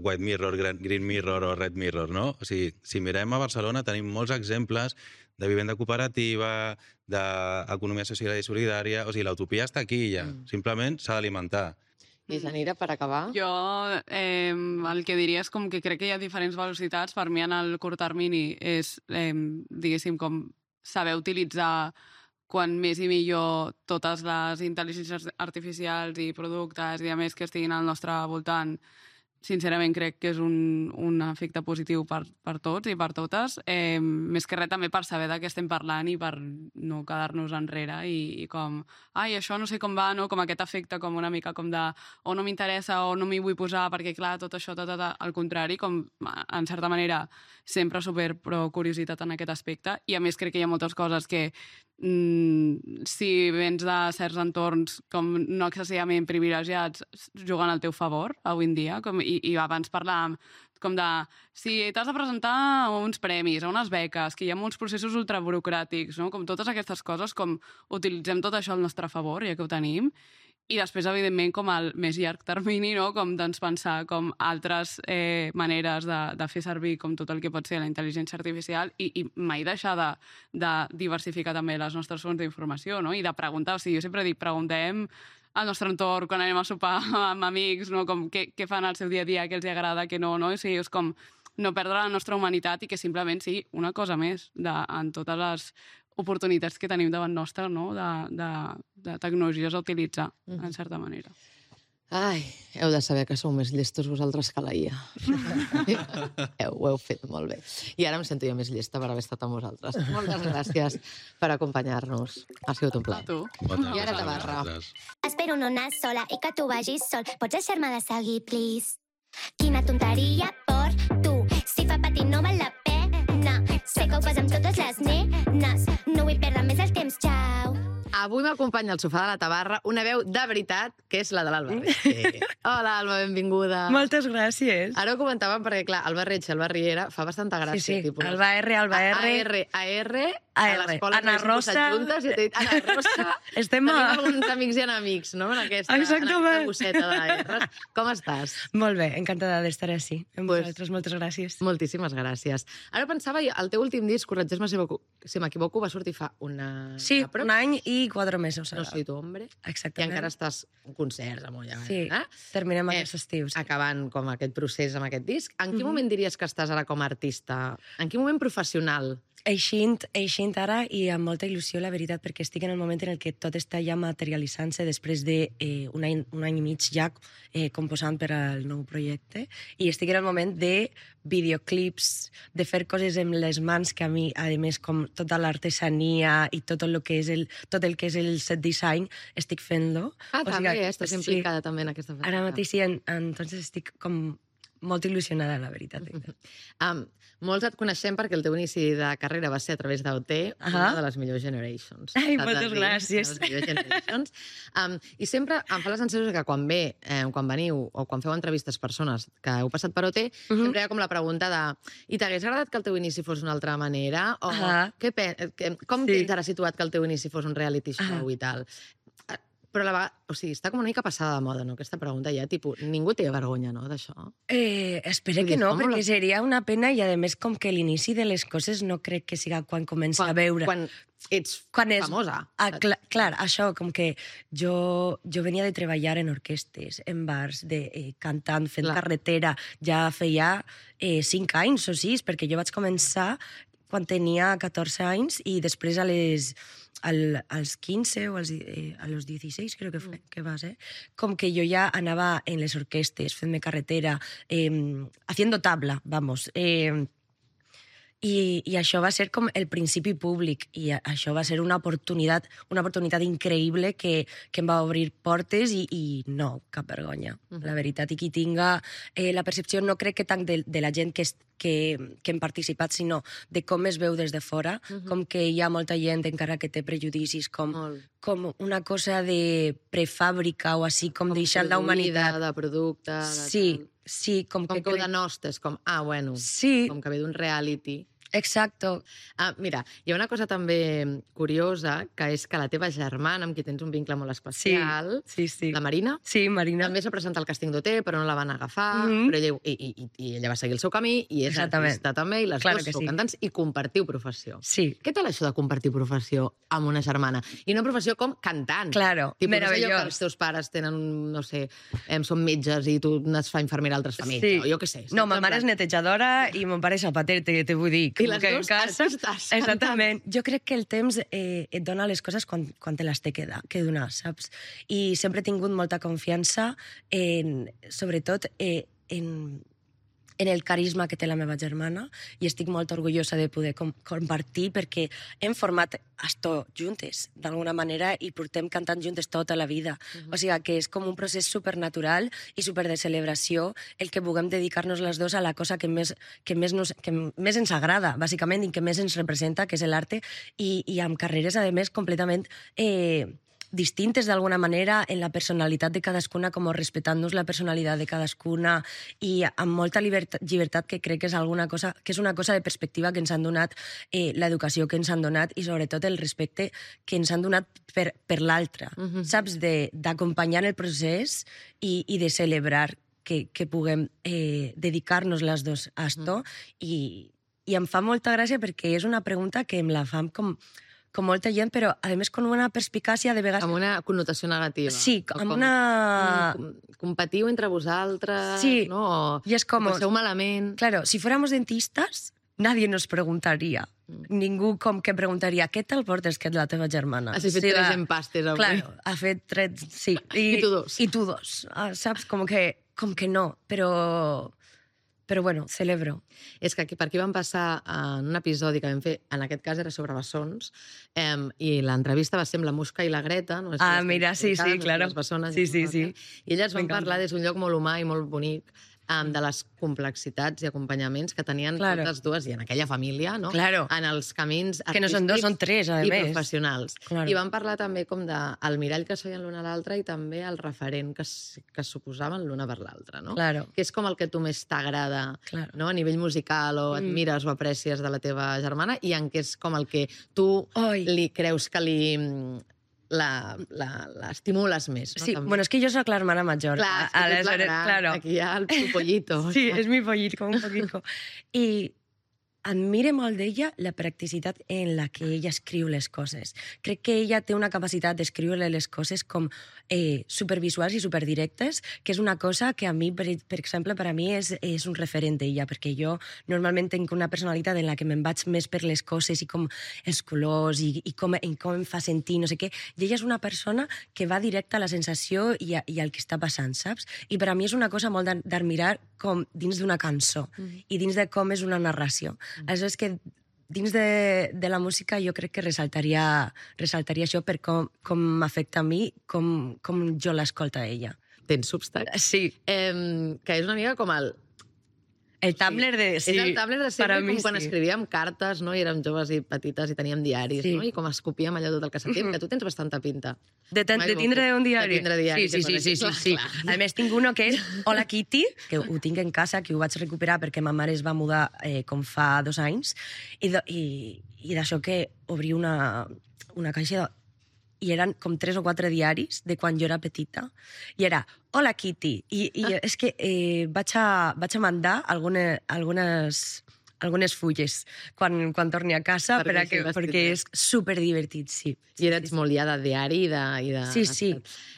white mirror, green mirror o red mirror, no? O sigui, si mirem a Barcelona tenim molts exemples de vivenda cooperativa, d'economia social i solidària, o sigui, l'utopia està aquí ja, simplement s'ha d'alimentar. I Janira, per acabar? Jo el que diria és com que crec que hi ha diferents velocitats. Per mi, en el curt termini, és, diguéssim, com saber utilitzar quan més i millor totes les intel·ligències artificials i productes i a més que estiguin al nostre voltant. Sincerament crec que és un efecte positiu per tots i per totes, més que res també per saber de què estem parlant i per no quedar-nos enrere i com, això no sé com va, no? Com aquest efecte com una mica com de o no m'interessa o no m'hi vull posar perquè clar, tot això, al contrari, com en certa manera sempre super pro curiositat en aquest aspecte i a més crec que hi ha moltes coses que si vens de certs entorns com no excessivament privilegiats juguen al teu favor avui en dia i abans parlàvem com de si t'has de presentar a uns premis, a unes beques, que hi ha molts processos ultraburocràtics, no? Com totes aquestes coses, com utilitzem tot això al nostre favor, ja que ho tenim, i després, evidentment, com al més llarg termini, no? Com doncs, pensar com altres maneres de fer servir com tot el que pot ser la intel·ligència artificial i mai deixar de diversificar també les nostres fonts d'informació, no? I de preguntar, o sigui, jo sempre dic, preguntem al nostre entorn, quan anem a sopar amb amics, no? Com què fan al seu dia a dia, què els agrada, què no, no? O sigui, és com no perdre la nostra humanitat i que simplement sigui una cosa més en totes les oportunitats que tenim davant nostra, no? De tecnologies a utilitzar, en certa manera. Ai, heu de saber que sou més llestos vosaltres que la IA. Ho heu fet molt bé. I ara em sento jo més llesta per haver estat amb vosaltres. Moltes gràcies per acompanyar-nos. Ha sigut un plaer. Tu. I ara Tabarra. Espero no anar sola i que tu vagis sol. Pots deixar-me de seguir, please? Quina tonteria per tu. Si fa patir no val la pena. Sé que ho fas amb totes les nenes. No vull perdre més el temps, xau. Avui m'acompanya al sofà de la Tabarra una veu de veritat, que és la de l'Alba Retxe. Hola, Alba, benvinguda. Moltes gràcies. Ara ho comentàvem perquè, clar, Alba Retxe, Alba Riera, fa bastanta gràcia. Sí, tipus, Alba R, Alba R. A l'escola Ana Rosa. Juntes, i t'he dit, Ana Rosa. Tenim alguns amics i enemics, no?, en aquesta bosseta de R's. Com estàs? Molt bé, encantada d'estar així. Amb vosaltres, moltes gràcies. Moltíssimes gràcies. Ara pensava, el teu últim disc, corregeix-me si m'equivoco, va sortir fa una... Sí, un any i 4 mesos. No soy tu hombre. Exactament. I encara estàs en concerts, amunt. Sí, terminem aquest estiu. Acabant com aquest procés amb aquest disc. En quin moment diries que estàs ara com a artista? En quin moment professional? Eixint ara i amb molta il·lusió, la veritat, perquè estic en el moment en què tot està ja materialitzant-se després d'un any i mig ja composant per al nou projecte i estic en el moment de videoclips, de fer coses amb les mans que a mi, a més, com tota l'artesania i tot el que és el set design, estic fent-lo. També estàs implicada també en aquesta feina. Ara mateix sí, entonces estic com molt il·lusionada, la veritat. Molts et coneixem perquè el teu inici de carrera va ser a través d'OT, una de les millors Generations. Ai, moltes gràcies. I sempre em fa la sensació que quan veniu o quan feu entrevistes persones que heu passat per OT, sempre hi ha com la pregunta de i t'hagués agradat que el teu inici fos d'una altra manera? O com tens ara situat que el teu inici fos un reality show i tal? Però a la vegada, o sigui, està com una mica passada de moda, no?, aquesta pregunta ja, tipus, ningú té vergonya, no?, d'això. Espero que no, perquè seria una pena i, a més, com que l'inici de les coses no crec que siga quan comença a veure... Quan ets famosa. Clar, això, com que jo venia de treballar en orquestes, en bars, cantant, fent carretera, ja feia 5 anys o 6, perquè jo vaig començar quan tenia 14 anys i després als 15 o a los 16, creo que va ser, com que jo ja anava en les orquestes, fent-me carretera, haciendo tabla, vamos. I això va ser com el principi públic i això va ser una oportunitat increïble que em va obrir portes i no, cap vergonya, la veritat. I qui tinga la percepció, no crec que tant de la gent que hem participat, sinó de com es veu des de fora, com que hi ha molta gent encara que té prejudicis, com una cosa de prefàbrica o així, com deixant la humanitat. De producte... Sí, com que ho denostes, com, bueno, com que ve d'un reality. Exacto. Mira, hi ha una cosa també curiosa, que és que la teva germana, amb qui tens un vincle molt especial, Sí. la Marina, Sí, Marina. també s'ha presentat al càsting d'OT, però no la van agafar, Mhm. però ella va seguir el seu camí, i és Exactament. artista també, i les Claro dues que sou sí. cantants, i compartiu professió. Sí. Què tal això de compartir professió amb una germana? I una professió com cantant. Claro, Tipo, no és allò meravellós. que els teus pares tenen, no sé, són metges i tu es fa infermera, altres fa metge, o jo què sé. No, saps? ma En mare és plan- netejadora i mon pare és zapater, te vull dir. I com les que en dues casa... artistes, Exactament. Jo crec que el temps et dona les coses quan te les té que donar, saps? I sempre he tingut molta confiança sobretot en el carisma que té la meva germana, i estic molt orgullosa de poder compartir, perquè hem format esto juntes, d'alguna manera, i portem cantant juntes tota la vida. O sigui que és com un procés supernatural i super de celebració el que puguem dedicar-nos les dues a la cosa que més ens agrada, bàsicament, i que més ens representa, que és l'arte, i amb carreres, a més, completament distintes d'alguna manera en la personalitat de cadascuna, com respectant-nos la personalitat de cadascuna, i amb molta llibertat, que crec que és una cosa de perspectiva que ens han donat, l'educació que ens han donat, i sobretot el respecte que ens han donat per l'altre, saps? D'acompanyar el procés i de celebrar que puguem dedicar-nos les dues a esto, i em fa molta gràcia perquè és una pregunta que em la fan com molta gent, però, a més, con una perspicàcia de vegades... Amb una connotació negativa. Sí, amb una... Competiu entre vosaltres, Sí, no? i és com... Ho passeu malament. Claro, si fuéramos dentistas, nadie nos preguntaría. Ningú com que preguntaria què tal portes que és la teva germana? Has fet 3 empastes avui. Claro, ha fet 3, sí. I tu 2. I tu 2. Saps? Com que no, però bueno, celebro. És que per aquí vam passar en un episodi que vam fer, en aquest cas era sobre bessons, i l'entrevista va ser amb la Musca i la Greta. No? Mira, sí, claro. Les bessones, sí. I elles van parlar des d'un lloc molt humà i molt bonic, de les complexitats i acompanyaments que tenien totes dues, i en aquella família, no? Claro. En els camins artístics, que no són 2, són 3, a i més. professionals. Claro. I van parlar també com del mirall que soien l'una a l'altra, i també el referent que suposaven l'una per l'altra, no? Claro. Que és com el que tu més t'agrada, no? A nivell musical, o admires o aprecies de la teva germana, i en què és com el que tu li creus que l'estimules més, no? Sí, També. bueno, és que jo soc l'hermana major. Clar, és que tu ets la gran, claro. aquí hi ha el pollito. Sí, és mi pollito, un poquito. I admire molt d'ella la practicitat en la que ella escriu les coses. Crec que ella té una capacitat d'escriure les coses com supervisuals i superdirectes, que és una cosa que a mi, per exemple, per a mi és un referent d'ella, perquè jo normalment tinc una personalitat en la que me'n vaig més per les coses i com els colors i com em fa sentir, no sé què. I ella és una persona que va directa a la sensació i al que està passant, saps? I per a mi és una cosa molt d'admirar com dins d'una cançó i dins de com és una narració. Aleshores, que dins de la música jo crec que ressaltaria això per com m'afecta a mi, com jo l'escolta a ella. Tens Substack? Sí. Que és una mica com el Tumblr de... Sí, és el Tumblr de sempre, com quan sí. escrivíem cartes, no? I érem joves i petites i teníem diaris, no? I com escopíem allò tot el que sentíem, que tu tens bastanta pinta. De tindre un diari? De tindre diari. Sí. A més, tinc uno que és Hola Kitty, que ho tinc en casa, que ho vaig recuperar perquè ma mare es va mudar com fa 2 anys, i d'això que obri una caixa i eren com 3 o 4 diaris de quan jo era petita, i era Hola Kitty, i és que vaig a mandar algunes fulles quan torni a casa perquè és superdivertit, sí. I eres molt ja de diari i de... Sí.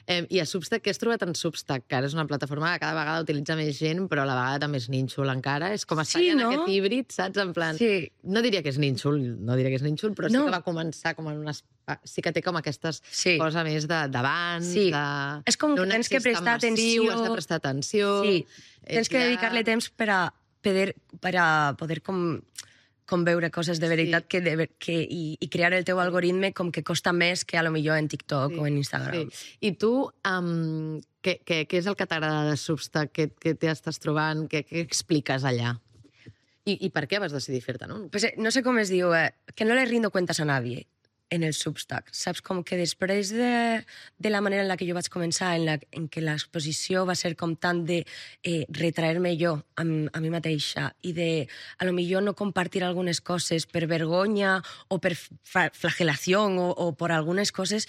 I a Substack, què has trobat en Substack? Que ara és una plataforma que cada vegada utilitza més gent, però a la vegada també és nínxol encara. És com estar en aquest híbrid, saps? En plan... Sí. No diria que és nínxol, però sí que va començar com en unes... Sí que té com aquestes coses més d'abans, és com que tens que prestar atenció. Has de prestar atenció. Sí, tens que dedicar-li temps per a poder com veure coses de veritat i crear el teu algoritme com que costa més que a lo millor en TikTok o en Instagram. Sí. I tu, què és el que t'agrada de Substack? Què t'estàs trobant? Què expliques allà? I per què vas decidir fer-te, no? Pues no sé com es diu, que no le rindo cuentas a nadie. en el Substack. Saps? Com que després de la manera en la que jo vaig començar, en què l'exposició va ser com tant de retraer-me jo a mi mateixa i de, a lo millor, no compartir algunes coses per vergonya o per flagelació o per algunes coses,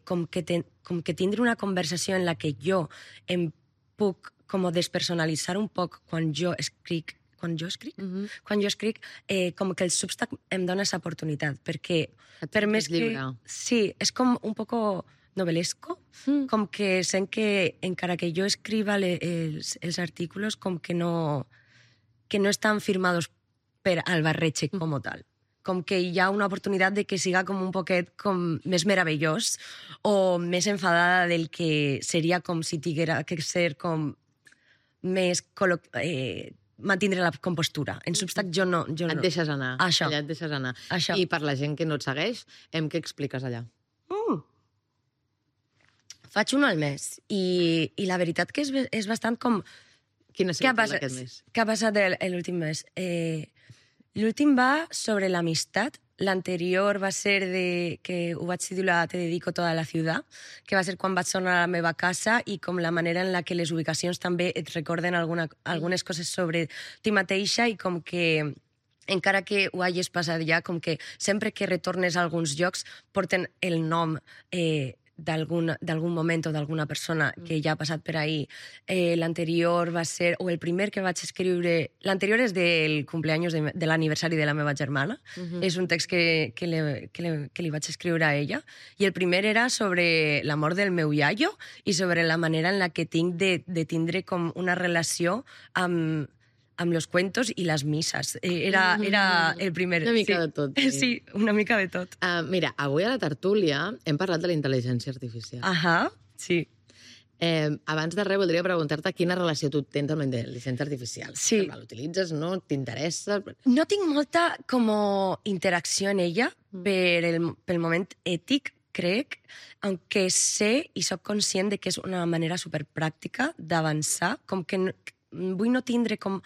com que tindre una conversació en la que jo em puc com despersonalitzar un poc quan jo escric, com que el Substack em dona aquesta oportunitat, perquè per més que... Sí, és com un poco novelesco, com que sent que encara que jo escriva els artículos, com que no estan firmados per Albarreche com tal. Com que hi ha una oportunitat de que siga com un poquet com més meravellós o més enfadada del que seria com si tinguera que ser com més mantindre la compostura. En Substack jo no. Et deixes anar. Això. Allà et deixes anar. Això. I per la gent que no et segueix, què expliques allà? Faig un al mes. I la veritat que és bastant com... Quin ha sigut aquest mes? Què ha passat l'últim mes? L'últim va sobre l'amistat. L'anterior va ser que ho vaig titular Te dedico toda la ciudad, que va ser quan vaig tornar a la meva casa i com la manera en la que les ubicacions també et recorden algunes coses sobre ti mateixa i com que encara que ho hagis passat ja, com que sempre que retornes a alguns llocs porten el nom d'algun moment o d'alguna persona que ja ha passat per ahí. L'anterior va ser, o el primer que vaig escriure, l'anterior és del cumpleaños de l'aniversari de la meva germana, és un text que li vaig escriure a ella, i el primer era sobre l'amor del meu iaio i sobre la manera en la que tinc de tindre com una relació amb los cuentos i les misses. Era el primer. Una mica de tot. Sí, una mica de tot. Mira, avui a la tertúlia hem parlat de la intel·ligència artificial. Sí. Abans de res, voldria preguntar-te quina relació tu tens amb la intel·ligència artificial. Sí. L'utilitzes, no? T'interessa? No tinc molta com interacció en ella pel moment ètic, crec, aunque sé i soc conscient de que és una manera superpràctica d'avançar, com que vull no tindre com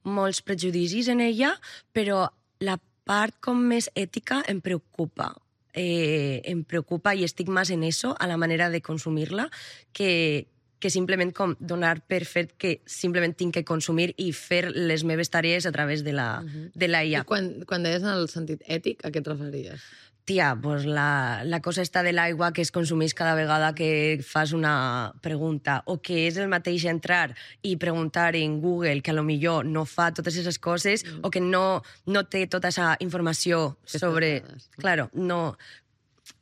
molts prejudicis en ella, però la part com més ètica em preocupa. Em preocupa i estic més en eso, a la manera de consumir-la, que simplement com donar per fet que simplement tinc que consumir i fer les meves tarees a través de la IA. I quan deies en el sentit ètic, a què et referies? Tia, pues la cosa està de l'aigua que es consumeix cada vegada que fas una pregunta, o que és el mateix entrar i preguntar en Google, que a lo millor no fa totes aquestes coses, o que no té tota aquesta informació sobre... Claro, no...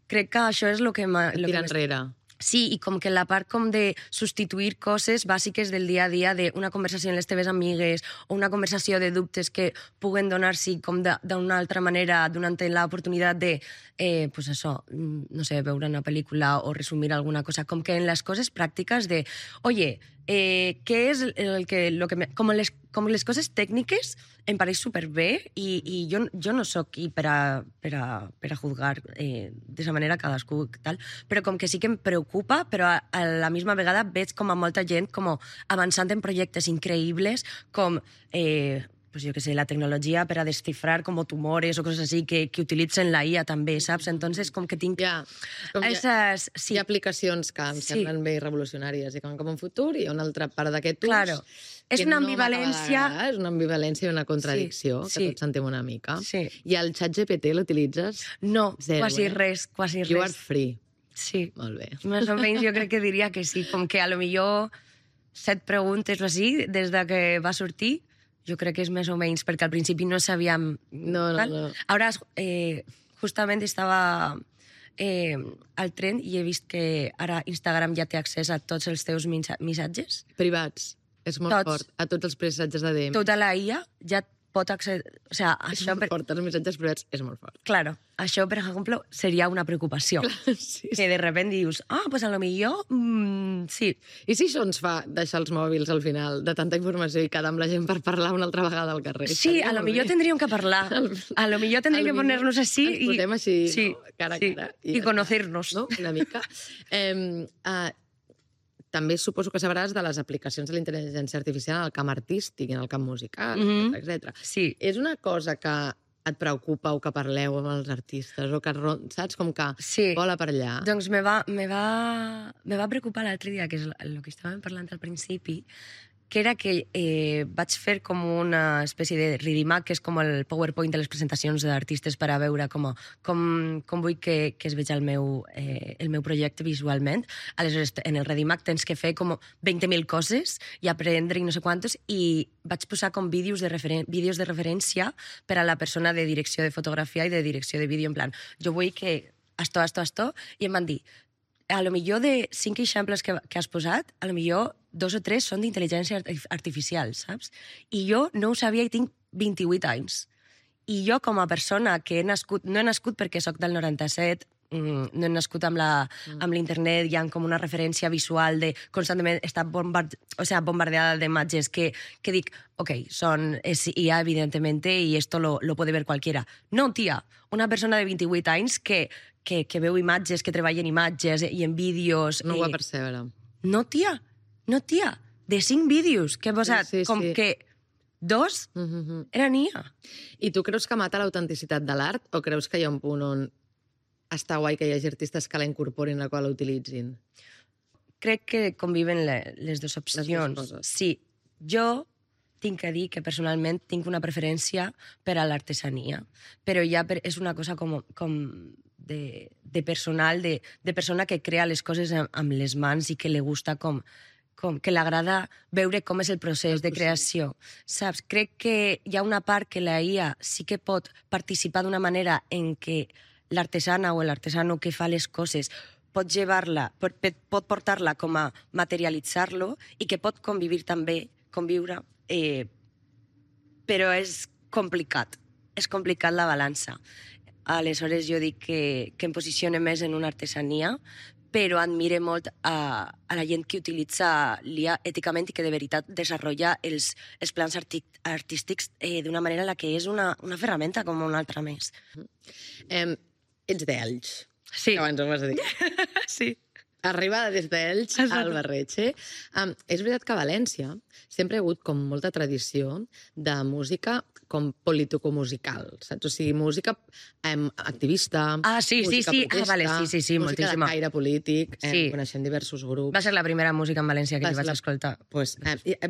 Crec que això és el que... Tira enrere. Sí, i com que la part com de substituir coses bàsiques del dia a dia, d'una conversació amb les teves amigues o una conversació de dubtes que puguen donar-s'hi com d'una altra manera, donant-te l'oportunitat de, pues això, no sé, veure una pel·lícula o resumir alguna cosa, com que en les coses pràctiques de, oye, què és com les coses tècniques em pareix superbé i jo no sóc aquí per a juzgar d'aquesta manera cadascú tal, però com que sí que em preocupa, però a la misma vegada veig com a molta gent com avançant en projectes increïbles com pues jo que sé, la tecnologia per a descifrar com tumores o coses així que utilitzen la IA també, saps? Entonces, com que tinc... Hi ha aplicacions que em semblen bé revolucionàries i que van cap a un futur, i hi ha una altra part d'aquest ús... Claro. És una ambivalència... És una ambivalència i una contradicció, que tots sentim una mica. Sí. I el ChatGPT l'utilitzes? No, zero, quasi res. You are free. Sí. Molt bé. Més o menys jo crec que diria que sí, com que a lo millor 7 preguntes o així, des de que va sortir, jo crec que és més o menys, perquè al principi no sabíem... No. Ara, justament estava al tren i he vist que ara Instagram ja té accés a tots els teus missatges. Privats. És molt fort. A tots els missatges de DM. Tota la IA ja pot accedir... O sea, això fort, els missatges privats és molt fort. Claro, això, per exemple, seria una preocupació. Sí. Que de repente dius, pues a lo millor, sí. I si això ens fa deixar els mòbils al final de tanta informació i quedar amb la gent per parlar una altra vegada al carrer? Sí, a lo millor tendríem que parlar. A lo millor tendríem que poner-nos així i... Ens posem així, sí, cara a cara. I conocer-nos. No? Una mica. També suposo que sabràs de les aplicacions de la intel·ligència artificial en el camp artístic, en el camp musical, etc. Sí. És una cosa que et preocupa o que parleu amb els artistes, o que, saps, com que vola per allà. Doncs me va preocupar l'altre dia, que és el que estàvem parlant al principi, que era que vaig fer com una espècie de Readimac, que és com el PowerPoint de les presentacions d'artistes per a veure com vull que es veig el meu projecte visualment. Aleshores, en el Readimac tens que fer com 20.000 coses i aprendre i no sé quantos, i vaig posar com vídeos de referència per a la persona de direcció de fotografia i de direcció de vídeo, en plan, jo vull que esto, i em van dir, a lo millor de 5 exemples que has posat, a lo millor 2 o 3 són d'intel·ligència artificial, saps? I jo no ho sabia i tinc 28 anys. I jo, com a persona que no he nascut perquè sóc del 97, no he nascut amb l'internet, hi ha com una referència visual de constantment estar bombardeada d'imatges que dic, ok, és IA, evidentemente, y esto lo puede ver cualquiera. No, tia, una persona de 28 anys que veu imatges, que treballa en imatges i en vídeos... No ho va percebre. No, tia, de 5 vídeos que he posat, que 2 eren IA. I tu creus que mata l'autenticitat de l'art o creus que hi ha un punt on està guai que hi hagi artistes que la incorporin, la qual la utilitzin? Crec que conviven les dues opcions. Sí, jo tinc que dir que personalment tinc una preferència per a l'artesania, però ja és una cosa com de personal, de persona que crea les coses amb les mans i que li gusta que l'agrada veure com és el procés de creació. Saps? Crec que hi ha una part que la IA sí que pot participar d'una manera en què l'artesana o l'artesano que fa les coses pot pot portar-la com a materialitzar-lo i que pot conviure, però és complicat. És complicat la balança. Aleshores jo dic que em posicione més en una artesania, però admire molt a la gent que utilitza l'IA èticament i que de veritat desenvolupa els plans artístics d'una manera en la que és una ferramenta com una altra més. Ets d'Elx. Sí. Abans ho vas dir. Sí. Arribada des d'Elx al Barretxe. És veritat que a València sempre hi ha hagut com molta tradició de música com politicomusical, saps? O sigui, música activista, música protesta, música de caire polític, coneixem diversos grups. Va ser la primera música en València que vaig escoltar.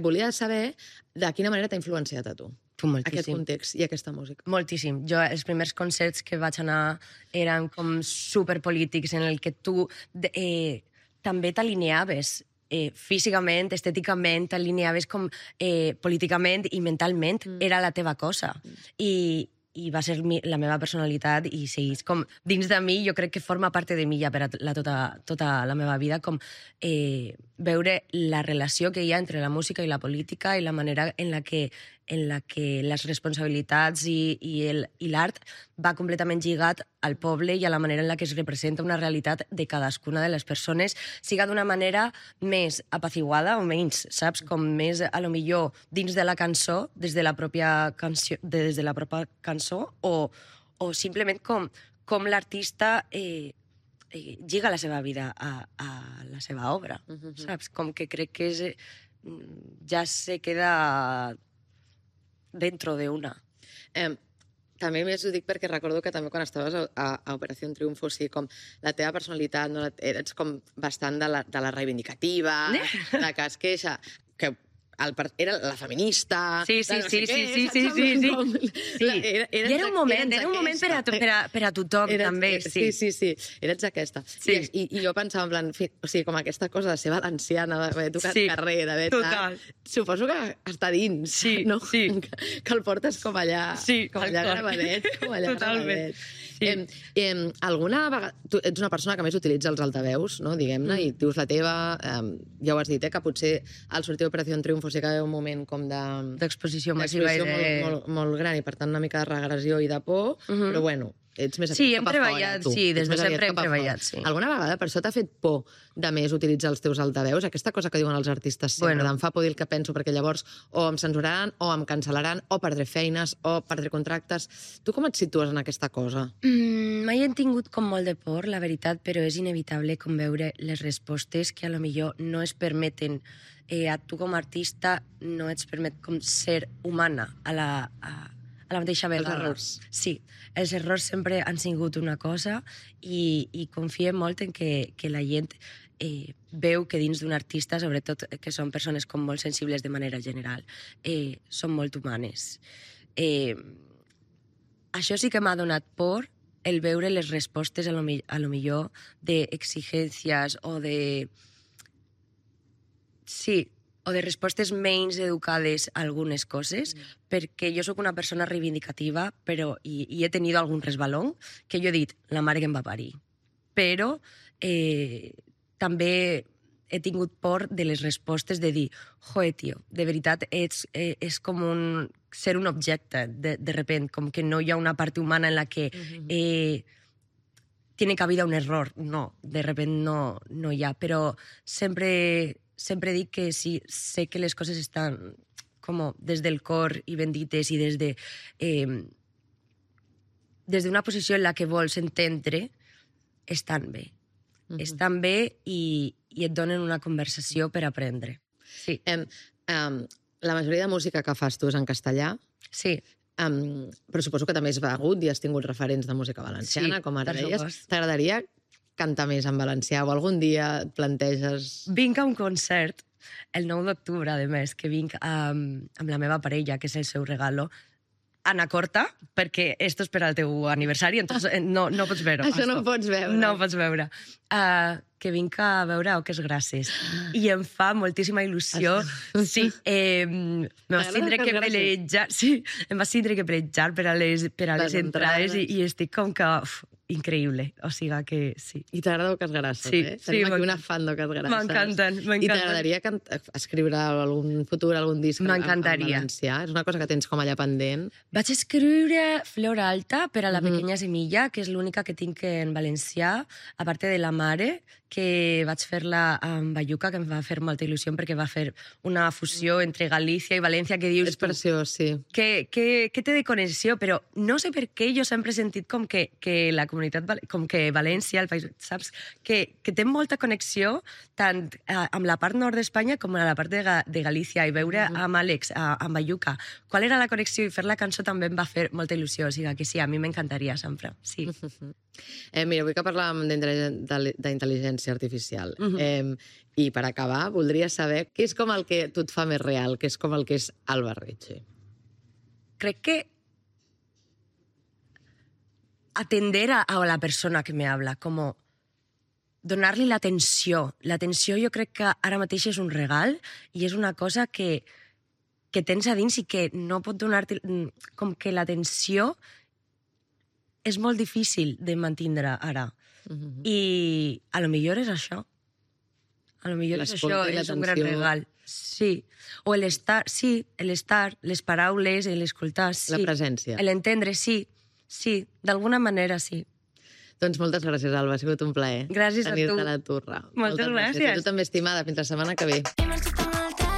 Volia saber de quina manera t'ha influenciat a tu aquest context i aquesta música. Moltíssim. Jo, els primers concerts que vaig anar eren com superpolítics, en el que tu també t'alineaves físicament, estèticament, t'alineaves com políticament i mentalment. Era la teva cosa. I va ser la meva personalitat i segueix com dins de mi, jo crec que forma part de mi ja per a tota la meva vida, com veure la relació que hi ha entre la música i la política i la manera en la que les responsabilitats i l'art va completament lligat al poble i a la manera en la que es representa una realitat de cadascuna de les persones, siga d'una manera més apaciguada o menys, saps? Com més, a lo millor, dins de la cançó, des de la pròpia cançó, o simplement com l'artista lliga la seva vida a la seva obra, saps? Com que crec que ja se queda dentro de una. També més ho dic perquè recordo que també quan estaves a Operació Triunfo, o sigui, com la teva personalitat, no, eres com bastant de la reivindicativa, de que es queixa, que era la feminista... Sí. Era un moment per a tothom, també. Sí, eres aquesta. I jo pensava, en plan, o sigui, com aquesta cosa de ser valenciana, d'haver tocat carrer, d'haver... Suposo que està dins, no? Que el portes com allà gravadet, com allà gravadet. Alguna vegada... Tu ets una persona que més utilitza els altaveus, no? Diguem-ne, i dius la teva... Ja ho has dit, que potser al sortir d'Operació Triunfo sí que hi ha un moment com d'exposició massiva i molt gran i per tant una mica de regressió i de por, però bueno, ets més hem treballat, des de sempre hem treballat, sí. Alguna vegada per això t'ha fet por de més utilitzar els teus altaveus? Aquesta cosa que diuen els artistes sempre, em fa por dir el que penso perquè llavors o em censuraran, o em cancel·laran, o perdré feines, o perdré contractes. Tu com et situes en aquesta cosa? Mai he tingut com molt de por, la veritat, però és inevitable com veure les respostes que a lo millor no es permeten a tu com a artista, no ets permet com ser humana a a la mateixa vegada. Els errors. Sí, els errors sempre han sigut una cosa i confiem molt en que la gent veu que dins d'un artista, sobretot que són persones com molt sensibles de manera general, són molt humanes. Això sí que m'ha donat por, el veure les respostes a lo millor d'exigències o de... Sí, o de respostes menys educades a algunes coses, perquè jo sóc una persona reivindicativa, però i he tenido algun resbalón que jo he dit, la mare que em va parir. Però també he tingut por de les respostes de dir, joder, tio, de veritat és com ser un objecte, de repent, com que no hi ha una part humana en la que tiene cabida un error. No, de repent no hi ha, però sempre dic que sí, sé que les coses estan com des del cor i ben dites i des d'una posició en la que vols entendre, estan bé. Estan bé i et donen una conversació per aprendre. Sí. La majoria de música que fas tu és en castellà, Sí. però suposo que també has begut i has tingut referents de música valenciana, Sí, com ara per deies. supost. T'agradaria cantar més en valencià o algun dia et planteges... Vinc a un concert el 9 d'octubre, a més, que vinc amb la meva parella, que és el seu regalo, Anacorta, perquè esto és per al teu aniversari, entonces no pots veure. Això no ho pots veure. No ho pots veure. Que vinc a veure Oques Grasses. I em fa moltíssima il·lusió. Sí, em vas tindre que pelejar... Sí, em vas tindre que pelejar per a les entrades i estic com que... increïble. O sigui que sí. I t'agrada Oques Grasses, Sí, eh? sí, Tenim aquí una fan d'Oques Grasses. M'encanten. I t'agradaria escriure algun futur, algun disc en valencià? És una cosa que tens com allà pendent. Vaig escriure Flor Alta per a la Pequeña Semilla, que és l'única que tinc en valencià, a part de La Mare, que vaig fer-la amb Bayuca, que em va fer molta il·lusió perquè va fer una fusió entre Galícia i València que dius... És preciós, sí. Que té de connexió, però no sé per què jo sempre he sentit com que la comunitat, com que València, el país, saps? Que té molta connexió tant amb la part nord d'Espanya com amb la part de Galícia, i veure amb Àlex, amb Bayuca, qual era la connexió i fer la cançó també em va fer molta il·lusió, o sigui que sí, a mi m'encantaria sempre, sí. Mira, avui que parlàvem d'intel·ligència artificial, i per acabar, voldria saber què és com el que tu et fa més real, què és com el que és Alba Ricci. Crec que atender a la persona que me habla, como donar-li l'atenció. L'atenció jo crec que ara mateix és un regal i és una cosa que tens a dins i que no pot donar-te... Com que l'atenció és molt difícil de mantindre ara. I a lo millor és això. A lo millor és això, és un gran regal. Sí. O l'estar, sí, l'estar, les paraules, l'escoltar, sí. La presència. L'entendre, sí. Sí, d'alguna manera sí. Doncs moltes gràcies, Alba, ha sigut un plaer. Gràcies a tu. Tenir-te a la turra. Moltes gràcies. A tu també, estimada. Fins la setmana que ve. He marxat amb l'altre